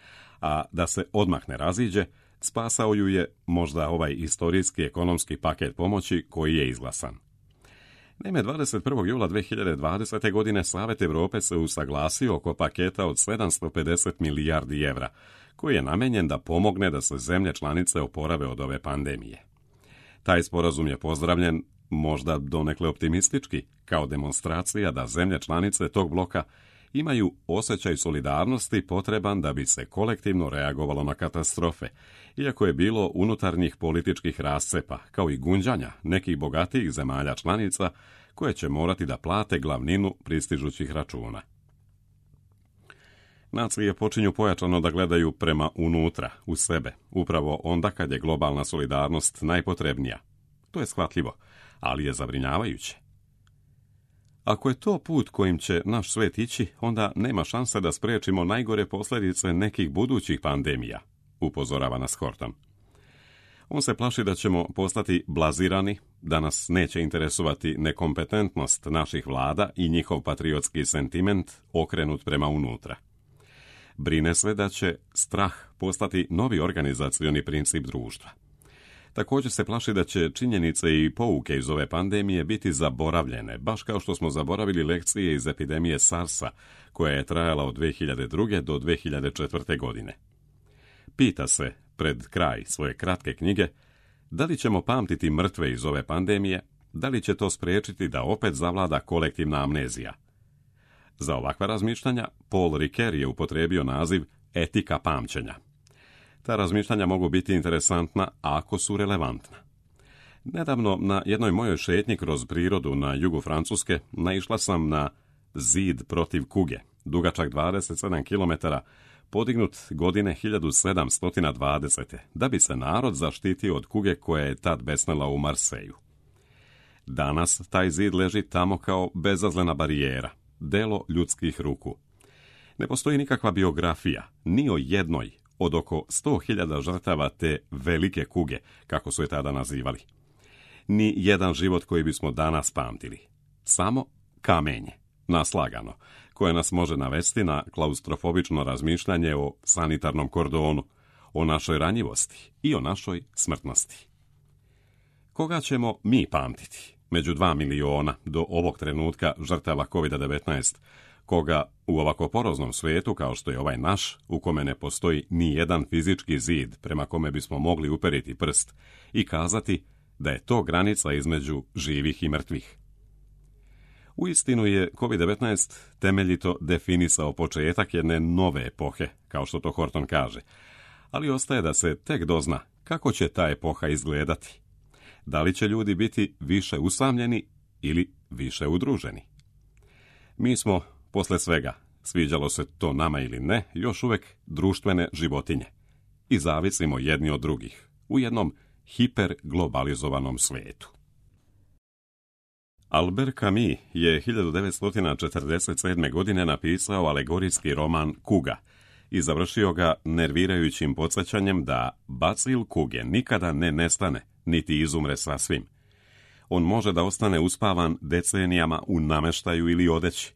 A: a da se odmah ne raziđe, spasao ju je možda ovaj istorijski ekonomski paket pomoći koji je izglasan. Naime, 21. jula 2020. godine Savet Europe se usaglasio oko paketa od 750 milijardi evra, koji je namenjen da pomogne da se zemlje članice oporave od ove pandemije. Taj sporazum je pozdravljen, možda donekle optimistički, kao demonstracija da zemlje članice tog bloka imaju osjećaj solidarnosti potreban da bi se kolektivno reagovalo na katastrofe, iako je bilo unutarnjih političkih rascepa, kao i gunđanja nekih bogatijih zemalja članica koje će morati da plate glavninu pristižućih računa. Nacije počinju pojačano da gledaju prema unutra, u sebe, upravo onda kad je globalna solidarnost najpotrebnija. To je shvatljivo, ali je zabrinjavajuće. Ako je to put kojim će naš svet ići, onda nema šanse da spriječimo najgore posljedice nekih budućih pandemija, upozorava nas Horton. On se plaši da ćemo postati blazirani, da nas neće interesovati nekompetentnost naših vlada i njihov patriotski sentiment okrenut prema unutra. Brine se da će strah postati novi organizacioni princip društva. Također se plaši da će činjenice i pouke iz ove pandemije biti zaboravljene, baš kao što smo zaboravili lekcije iz epidemije SARS-a, koja je trajala od 2002. do 2004. godine. Pita se, pred kraj svoje kratke knjige, da li ćemo pamtiti mrtve iz ove pandemije, da li će to spriječiti da opet zavlada kolektivna amnezija. Za ovakva razmišljanja Paul Ricoeur je upotrijebio naziv etika pamćenja. Ta razmišljanja mogu biti interesantna ako su relevantna. Nedavno na jednoj mojoj šetnji kroz prirodu na jugu Francuske naišla sam na zid protiv kuge, dugačak 27 km, podignut godine 1720. da bi se narod zaštitio od kuge koja je tad besnela u Marseju. Danas taj zid leži tamo kao bezazlena barijera, delo ljudskih ruku. Ne postoji nikakva biografija, ni o jednoj od oko 100.000 žrtava te velike kuge, kako su je tada nazivali. Ni jedan život koji bismo danas pamtili. Samo kamenje, naslagano, koje nas može navesti na klaustrofobično razmišljanje o sanitarnom kordonu, o našoj ranjivosti i o našoj smrtnosti. Koga ćemo mi pamtiti među 2 miliona do ovog trenutka žrtava COVID-19, koga u ovako poroznom svijetu kao što je ovaj naš, u kome ne postoji ni jedan fizički zid prema kome bismo mogli uperiti prst i kazati da je to granica između živih i mrtvih? Uistinu je COVID-19 temeljito definisao početak jedne nove epohe, kao što to Horton kaže, ali ostaje da se tek dozna kako će ta epoha izgledati. Da li će ljudi biti više usamljeni ili više udruženi? Mi smo, posle svega, sviđalo se to nama ili ne, još uvek društvene životinje i zavisimo jedni od drugih u jednom hiperglobalizovanom svijetu. Albert Camus je 1947. godine napisao alegorijski roman Kuga i završio ga nervirajućim podsjećanjem da bacil kuge nikada ne nestane, niti izumre sasvim. On može da ostane uspavan decenijama u nameštaju ili odeći.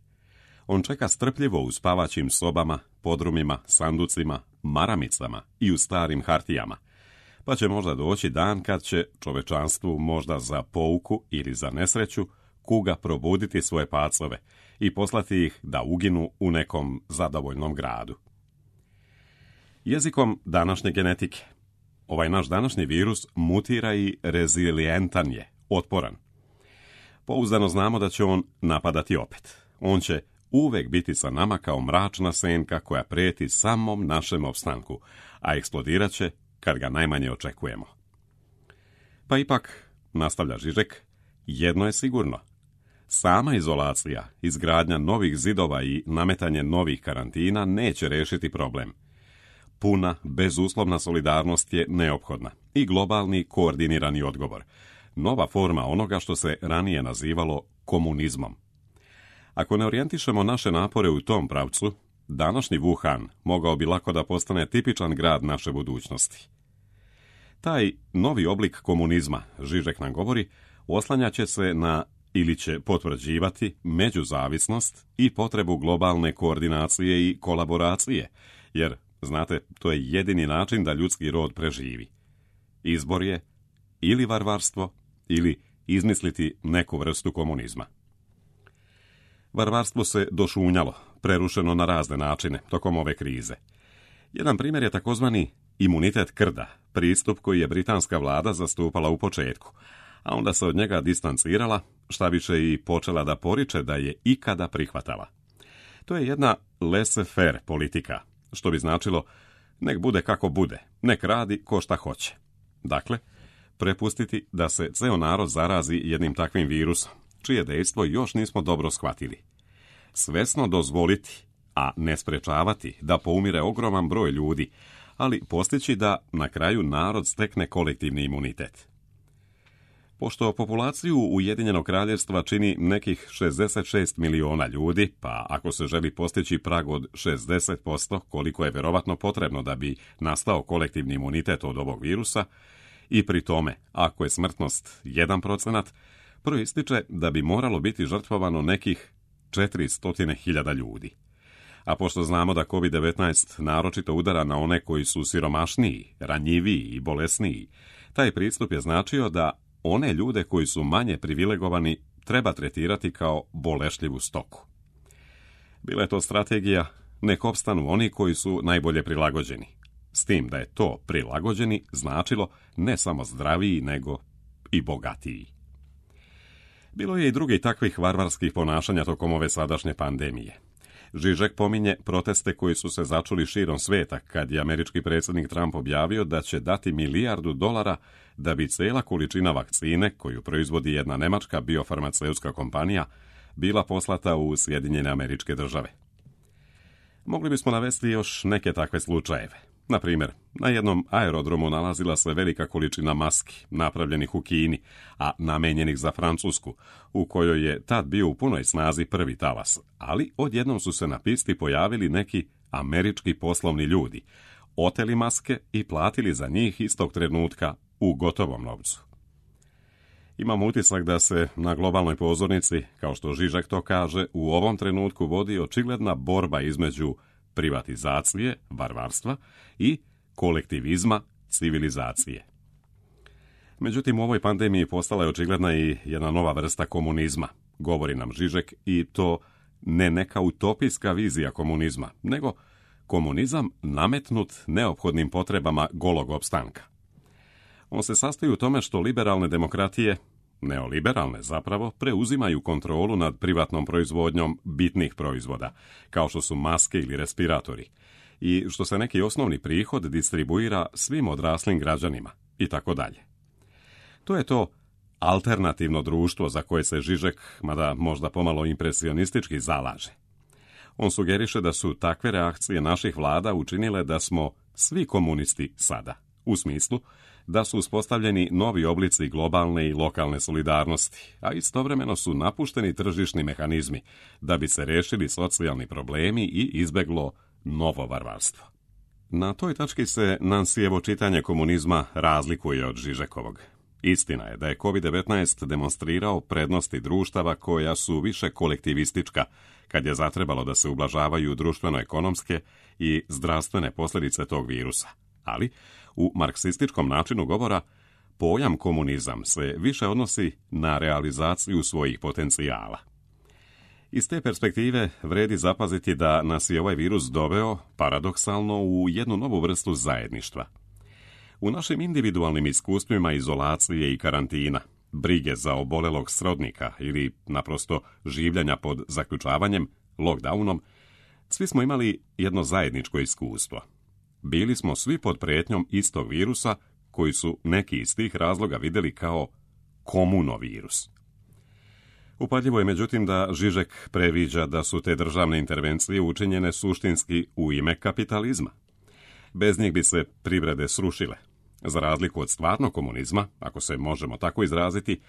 A: On čeka strpljivo u spavaćim sobama, podrumima, sanducima, maramicama i u starim hartijama, pa će možda doći dan kad će čovečanstvu možda za pouku ili za nesreću kuga probuditi svoje pacove i poslati ih da uginu u nekom zadovoljnom gradu. Jezikom današnje genetike, ovaj naš današnji virus mutira i rezilijentan je, otporan. Pouzdano znamo da će on napadati opet. On će uvek biti sa nama kao mračna senka koja prijeti samom našem opstanku, a eksplodirat će kad ga najmanje očekujemo. Pa ipak, nastavlja Žižek, jedno je sigurno. Sama izolacija, izgradnja novih zidova i nametanje novih karantina neće riješiti problem. Puna, bezuslovna solidarnost je neophodna i globalni koordinirani odgovor. Nova forma onoga što se ranije nazivalo komunizmom. Ako ne orijentišemo naše napore u tom pravcu, današnji Wuhan mogao bi lako da postane tipičan grad naše budućnosti. Taj novi oblik komunizma, Žižek nam govori, oslanjaće se na ili će potvrđivati međuzavisnost i potrebu globalne koordinacije i kolaboracije, jer, znate, to je jedini način da ljudski rod preživi. Izbor je ili varvarstvo, ili izmisliti neku vrstu komunizma. Varvarstvo se došunjalo, prerušeno na razne načine tokom ove krize. Jedan primjer je takozvani imunitet krda, pristup koji je britanska vlada zastupala u početku, a onda se od njega distancirala, šta više i počela da poriče da je ikada prihvatala. To je jedna laissez-faire politika, što bi značilo nek bude kako bude, nek radi ko šta hoće. Dakle, prepustiti da se ceo narod zarazi jednim takvim virusom, čije dejstvo još nismo dobro shvatili. Svesno dozvoliti, a ne sprečavati da poumire ogroman broj ljudi, ali postići da na kraju narod stekne kolektivni imunitet. Pošto populaciju Ujedinjenog kraljevstva čini nekih 66 miliona ljudi, pa ako se želi postići prag od 60%, koliko je verovatno potrebno da bi nastao kolektivni imunitet od ovog virusa, i pri tome, ako je smrtnost 1%, proističe da bi moralo biti žrtvovano nekih 400.000 ljudi. A pošto znamo da COVID-19 naročito udara na one koji su siromašniji, ranjiviji i bolesniji, taj pristup je značio da one ljude koji su manje privilegovani treba tretirati kao bolešljivu stoku. Bila je to strategija nek opstanu oni koji su najbolje prilagođeni. S tim da je to prilagođeni značilo ne samo zdraviji, nego i bogatiji. Bilo je i drugih takvih varvarskih ponašanja tokom ove sadašnje pandemije. Žižek pominje proteste koji su se začuli širom sveta kad je američki predsjednik Trump objavio da će dati $1 milijardu da bi cela količina vakcine, koju proizvodi jedna nemačka biofarmaceutska kompanija, bila poslata u Sjedinjene Američke Države. Mogli bismo navesti još neke takve slučajeve. Na primjer, na jednom aerodromu nalazila se velika količina maski, napravljenih u Kini, a namenjenih za Francusku, u kojoj je tad bio u punoj snazi prvi talas, ali odjednom su se na pisti pojavili neki američki poslovni ljudi, oteli maske i platili za njih istog trenutka u gotovom novcu. Imam utisak da se na globalnoj pozornici, kao što Žižek to kaže, u ovom trenutku vodi očigledna borba između privatizacije, varvarstva i kolektivizma, civilizacije. Međutim, u ovoj pandemiji postala je očigledna i jedna nova vrsta komunizma, govori nam Žižek, i to ne neka utopijska vizija komunizma, nego komunizam nametnut neophodnim potrebama golog opstanka. On se sastoji u tome što liberalne demokratije, neoliberalne zapravo, preuzimaju kontrolu nad privatnom proizvodnjom bitnih proizvoda, kao što su maske ili respiratori, i što se neki osnovni prihod distribuira svim odraslim građanima, i tako dalje. To je to alternativno društvo za koje se Žižek, mada možda pomalo impresionistički, zalaže. On sugeriše da su takve reakcije naših vlada učinile da smo svi komunisti sada, u smislu da su uspostavljeni novi oblici globalne i lokalne solidarnosti, a istovremeno su napušteni tržišni mehanizmi da bi se rešili socijalni problemi i izbeglo novo varvarstvo. Na toj tački se Nansijevo čitanje komunizma razlikuje od Žižekovog. Istina je da je COVID-19 demonstrirao prednosti društava koja su više kolektivistička, kad je zatrebalo da se ublažavaju društveno-ekonomske i zdravstvene posljedice tog virusa. Ali, u marksističkom načinu govora, pojam komunizam se više odnosi na realizaciju svojih potencijala. Iz te perspektive vredi zapaziti da nas je ovaj virus doveo, paradoksalno, u jednu novu vrstu zajedništva. U našim individualnim iskustvima izolacije i karantina, brige za obolelog srodnika ili naprosto življenja pod zaključavanjem, lockdownom, svi smo imali jedno zajedničko iskustvo. bili smo svi pod prijetnjom istog virusa koji su neki iz tih razloga vidjeli kao komunovirus. Upadljivo je međutim da Žižek previđa da su te državne intervencije učinjene suštinski u ime kapitalizma. Bez njih bi se privrede srušile. Za razliku od stvarnog komunizma, ako se možemo tako izraziti,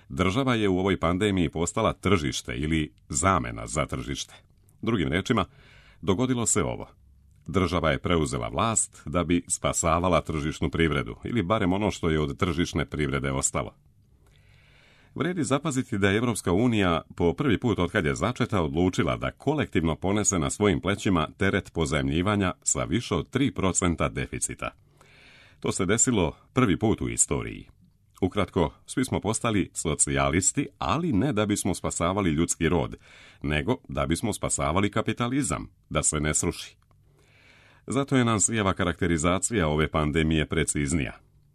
A: država je u ovoj pandemiji postala tržište ili zamena za tržište. Drugim riječima, dogodilo se ovo. Država je preuzela vlast da bi spasavala tržišnu privredu, ili barem ono što je od tržišne privrede ostalo. Vrijedi zapaziti da je Europska unija po prvi put otkad je začeta odlučila da kolektivno ponese na svojim plećima teret pozajmljivanja sa više od 3% deficita. To se desilo prvi put u istoriji. Ukratko, svi smo postali socijalisti, ali ne da bismo spasavali ljudski rod, nego da bismo spasavali kapitalizam, da se ne sruši. Zato je Nansijeva karakterizacija ove pandemije preciznija.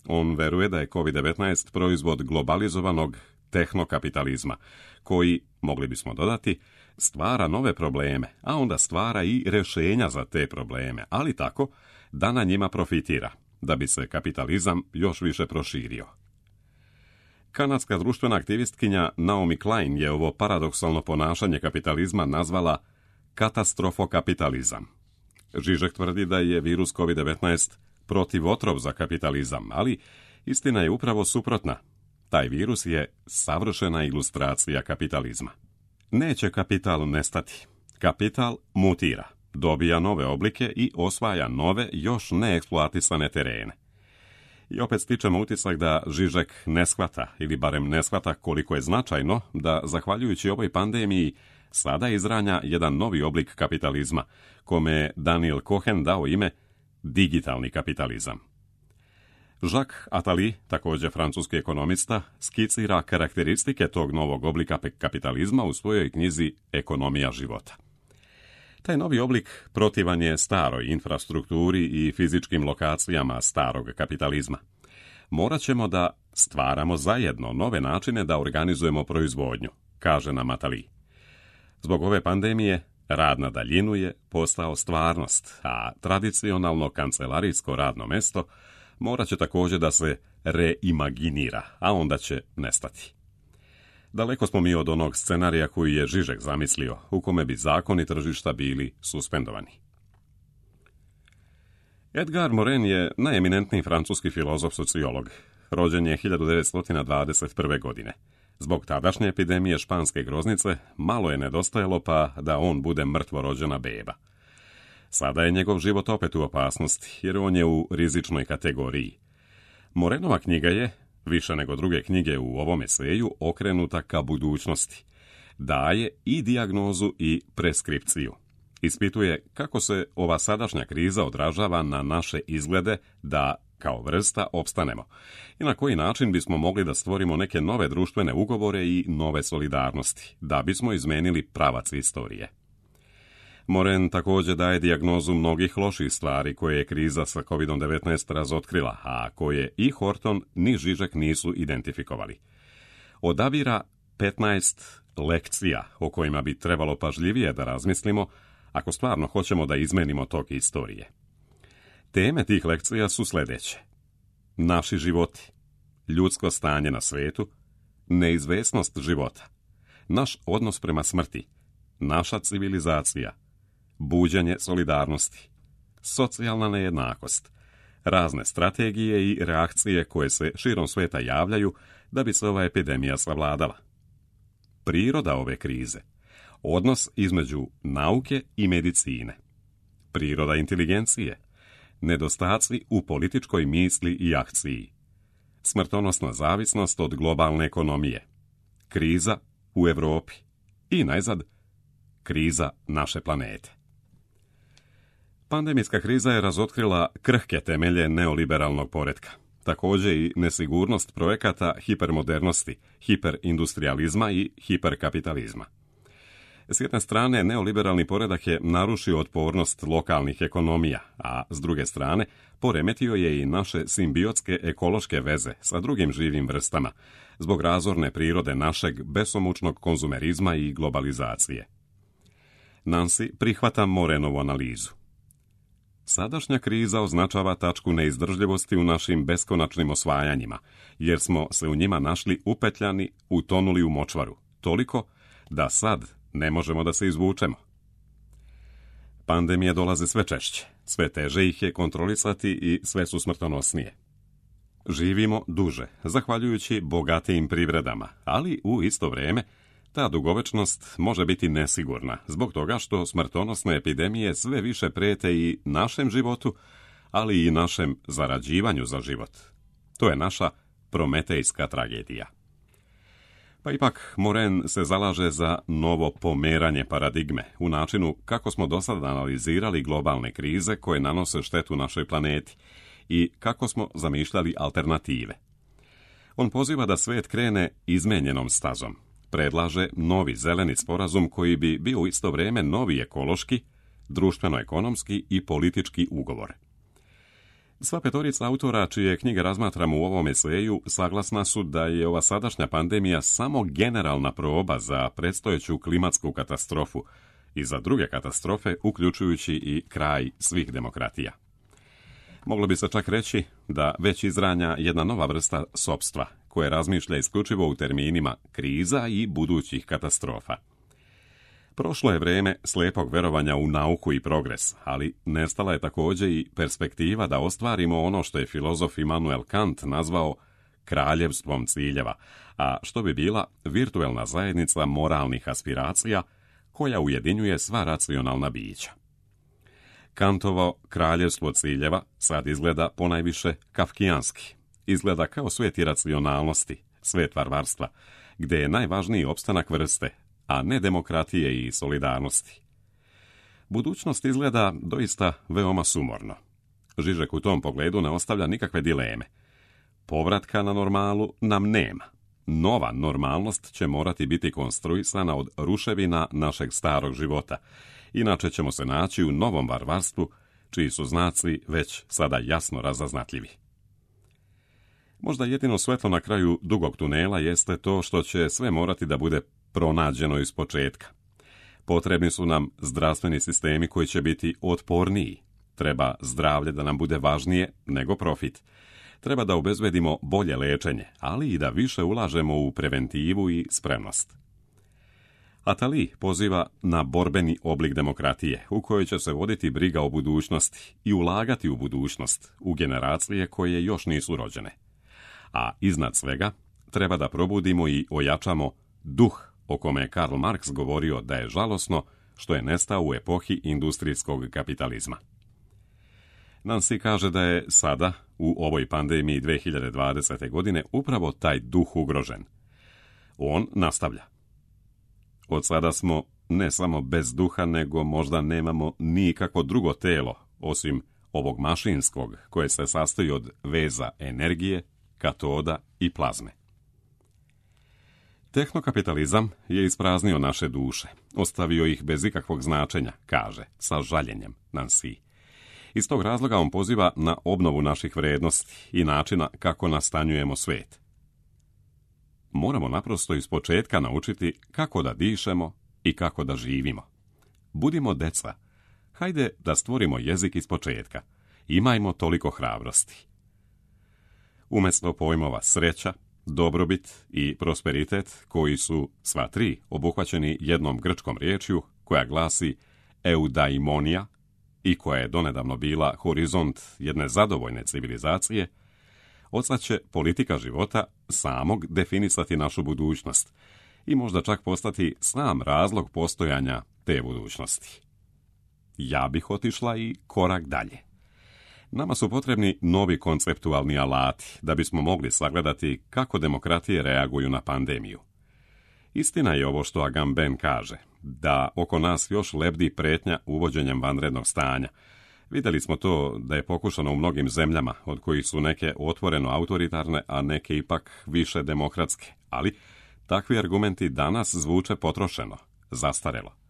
A: On veruje da je COVID-19 proizvod globalizovanog tehnokapitalizma, koji, mogli bismo dodati, stvara nove probleme, a onda stvara i rješenja za te probleme, ali tako da na njima profitira, da bi se kapitalizam još više proširio. Kanadska društvena aktivistkinja Naomi Klein je ovo paradoksalno ponašanje kapitalizma nazvala katastrofokapitalizam. Žižek tvrdi da je virus COVID-19 protivotrov za kapitalizam, ali istina je upravo suprotna. Taj virus je savršena ilustracija kapitalizma. Neće kapital nestati. Kapital mutira, dobija nove oblike i osvaja nove, još neeksploatisane terene. I opet stičemo utisak da Žižek ne shvata, ili barem ne shvata koliko je značajno da, zahvaljujući ovoj pandemiji, sada izranja jedan novi oblik kapitalizma, kome je Daniel Cohen dao ime digitalni kapitalizam. Jacques Attali, također francuski ekonomista, skicira karakteristike tog novog oblika kapitalizma u svojoj knjizi Ekonomija života. Taj novi oblik protivan je staroj infrastrukturi i fizičkim lokacijama starog kapitalizma. Morat ćemo da stvaramo zajedno nove načine da organizujemo proizvodnju, kaže nam Attali. Zbog ove pandemije, rad na daljinu je postao stvarnost, a tradicionalno kancelarijsko radno mesto morat će također da se reimaginira, a onda će nestati. Daleko smo mi od onog scenarija koji je Žižek zamislio, u kome bi zakoni tržišta bili suspendovani. Edgar Morin je najeminentniji francuski filozof-sociolog. Rođen je 1921. godine. Zbog tadašnje epidemije španske groznice malo je nedostajalo pa da on bude mrtvorođena beba. Sada je njegov život opet u opasnosti, jer on je u rizičnoj kategoriji. Morenova knjiga je, više nego druge knjige u ovom eseju, okrenuta ka budućnosti. Daje i dijagnozu i preskripciju. Ispituje kako se ova sadašnja kriza odražava na naše izglede da, kao vrsta, opstanemo i na koji način bismo mogli da stvorimo neke nove društvene ugovore i nove solidarnosti, da bismo izmenili pravac istorije. Morin također daje dijagnozu mnogih loših stvari koje je kriza sa COVID-19 razotkrila, a koje i Horton ni Žižek nisu identifikovali. Odabira 15 lekcija o kojima bi trebalo pažljivije da razmislimo ako stvarno hoćemo da izmenimo tok istorije. Teme tih lekcija su sljedeće: naši životi, ljudsko stanje na svetu, neizvesnost života, naš odnos prema smrti, naša civilizacija, buđenje solidarnosti, socijalna nejednakost, razne strategije i reakcije koje se širom sveta javljaju da bi se ova epidemija savladala. Priroda ove krize, odnos između nauke i medicine, priroda inteligencije, nedostaci u političkoj misli i akciji, smrtonosna zavisnost od globalne ekonomije, kriza u Europi i najzad kriza naše planete. Pandemijska kriza je razotkrila krhke temelje neoliberalnog poretka. Također i nesigurnost projekata hipermodernosti, hiperindustrializma i hiperkapitalizma. S jedne strane, neoliberalni poredak je narušio otpornost lokalnih ekonomija, a s druge strane, poremetio je i naše simbiotske ekološke veze sa drugim živim vrstama, zbog razorne prirode našeg besomučnog konzumerizma i globalizacije. Nancy prihvata Morenovu analizu. Sadašnja kriza označava tačku neizdržljivosti u našim beskonačnim osvajanjima, jer smo se u njima našli upetljani, utonuli u močvaru, toliko da sad ne možemo da se izvučemo. Pandemije dolaze sve češće, sve teže ih je kontrolisati i sve su smrtonosnije. Živimo duže, zahvaljujući bogatijim privredama, ali u isto vrijeme ta dugovečnost može biti nesigurna, zbog toga što smrtonosne epidemije sve više prijete i našem životu, ali i našem zarađivanju za život. To je naša prometejska tragedija. Pa ipak Moren se zalaže za novo pomeranje paradigme u načinu kako smo do sada analizirali globalne krize koje nanose štetu našoj planeti i kako smo zamišljali alternative. On poziva da svijet krene izmenjenom stazom. Predlaže novi zeleni sporazum koji bi bio u isto vrijeme novi ekološki, društveno-ekonomski i politički ugovor. Sva petorica autora čije knjige razmatramo u ovom eseju saglasna su da je ova sadašnja pandemija samo generalna proba za predstojeću klimatsku katastrofu i za druge katastrofe, uključujući i kraj svih demokratija. Moglo bi se čak reći da već izranja jedna nova vrsta sopstva, koje razmišlja isključivo u terminima kriza i budućih katastrofa. Prošlo je vrijeme slijepog verovanja u nauku i progres, ali nestala je također i perspektiva da ostvarimo ono što je filozof Immanuel Kant nazvao kraljevstvom ciljeva, a što bi bila virtuelna zajednica moralnih aspiracija koja ujedinjuje sva racionalna bića. Kantovo kraljevstvo ciljeva sad izgleda ponajviše kafkijanski. Izgleda kao svijet iracionalnosti, svijet varvarstva, gdje je najvažniji opstanak vrste, a ne demokratije i solidarnosti. Budućnost izgleda doista veoma sumorno. Žižek u tom pogledu ne ostavlja nikakve dileme. Povratka na normalu nam nema. Nova normalnost će morati biti konstruisana od ruševina našeg starog života, inače ćemo se naći u novom varvarstvu, čiji su znaci već sada jasno razaznatljivi. Možda jedino svetlo na kraju dugog tunela jeste to što će sve morati da bude pronađeno iz početka. Potrebni su nam zdravstveni sistemi koji će biti otporniji. Treba zdravlje da nam bude važnije nego profit. Treba da obezbedimo bolje lečenje, ali i da više ulažemo u preventivu i spremnost. Attali poziva na borbeni oblik demokratije, u kojoj će se voditi briga o budućnosti i ulagati u budućnost, u generacije koje još nisu rođene. A iznad svega, treba da probudimo i ojačamo duh o kome je Karl Marx govorio da je žalosno što je nestao u epohi industrijskog kapitalizma. Nancy kaže da je sada, u ovoj pandemiji 2020. godine, upravo taj duh ugrožen. On nastavlja. Od sada smo ne samo bez duha, nego možda nemamo nikakvo drugo telo, osim ovog mašinskog, koje se sastoji od veza energije, katoda i plazme. Tehnokapitalizam je ispraznio naše duše, ostavio ih bez ikakvog značenja, kaže, sa žaljenjem Nancy. Iz tog razloga on poziva na obnovu naših vrednosti i načina kako nastanjujemo svijet. Moramo naprosto iz početka naučiti kako da dišemo i kako da živimo. Budimo deca. Hajde da stvorimo jezik iz početka. Imajmo toliko hrabrosti. Umjesto pojmova sreća, dobrobit i prosperitet, koji su sva tri obuhvaćeni jednom grčkom riječju koja glasi eudaimonija i koja je donedavno bila horizont jedne zadovoljne civilizacije, odsad će politika života samog definisati našu budućnost i možda čak postati sam razlog postojanja te budućnosti. Ja bih otišla i korak dalje. Nama su potrebni novi konceptualni alati da bismo mogli sagledati kako demokratije reaguju na pandemiju. Istina je ovo što Agamben kaže, da oko nas još lebdi pretnja uvođenjem vanrednog stanja. Vidjeli smo to da je pokušano u mnogim zemljama, od kojih su neke otvoreno autoritarne, a neke ipak više demokratske. Ali takvi argumenti danas zvuče potrošeno, zastarelo.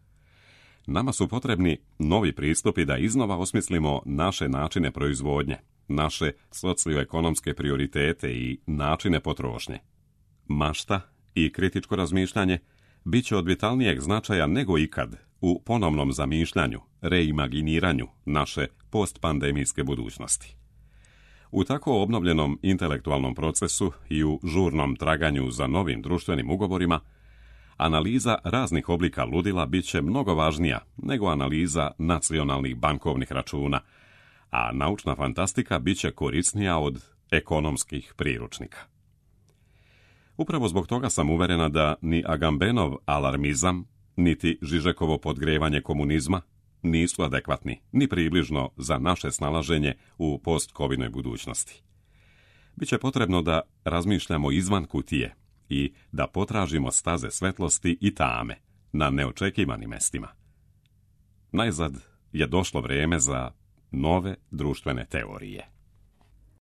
A: Nama su potrebni novi pristupi da iznova osmislimo naše načine proizvodnje, naše socioekonomske prioritete i načine potrošnje. Mašta i kritičko razmišljanje bit će od vitalnijeg značaja nego ikad u ponovnom zamišljanju, reimaginiranju naše postpandemijske budućnosti. U tako obnovljenom intelektualnom procesu i u žurnom traganju za novim društvenim ugovorima, analiza raznih oblika ludila bit će mnogo važnija nego analiza nacionalnih bankovnih računa, a naučna fantastika bit će korisnija od ekonomskih priručnika. Upravo zbog toga sam uverena da ni Agambenov alarmizam, niti Žižekovo podgrevanje komunizma nisu adekvatni, ni približno za naše snalaženje u post-covidnoj budućnosti. Biće potrebno da razmišljamo izvan kutije i da potražimo staze svetlosti i tame na neočekivanim mestima. Najzad je došlo vrijeme za nove društvene teorije.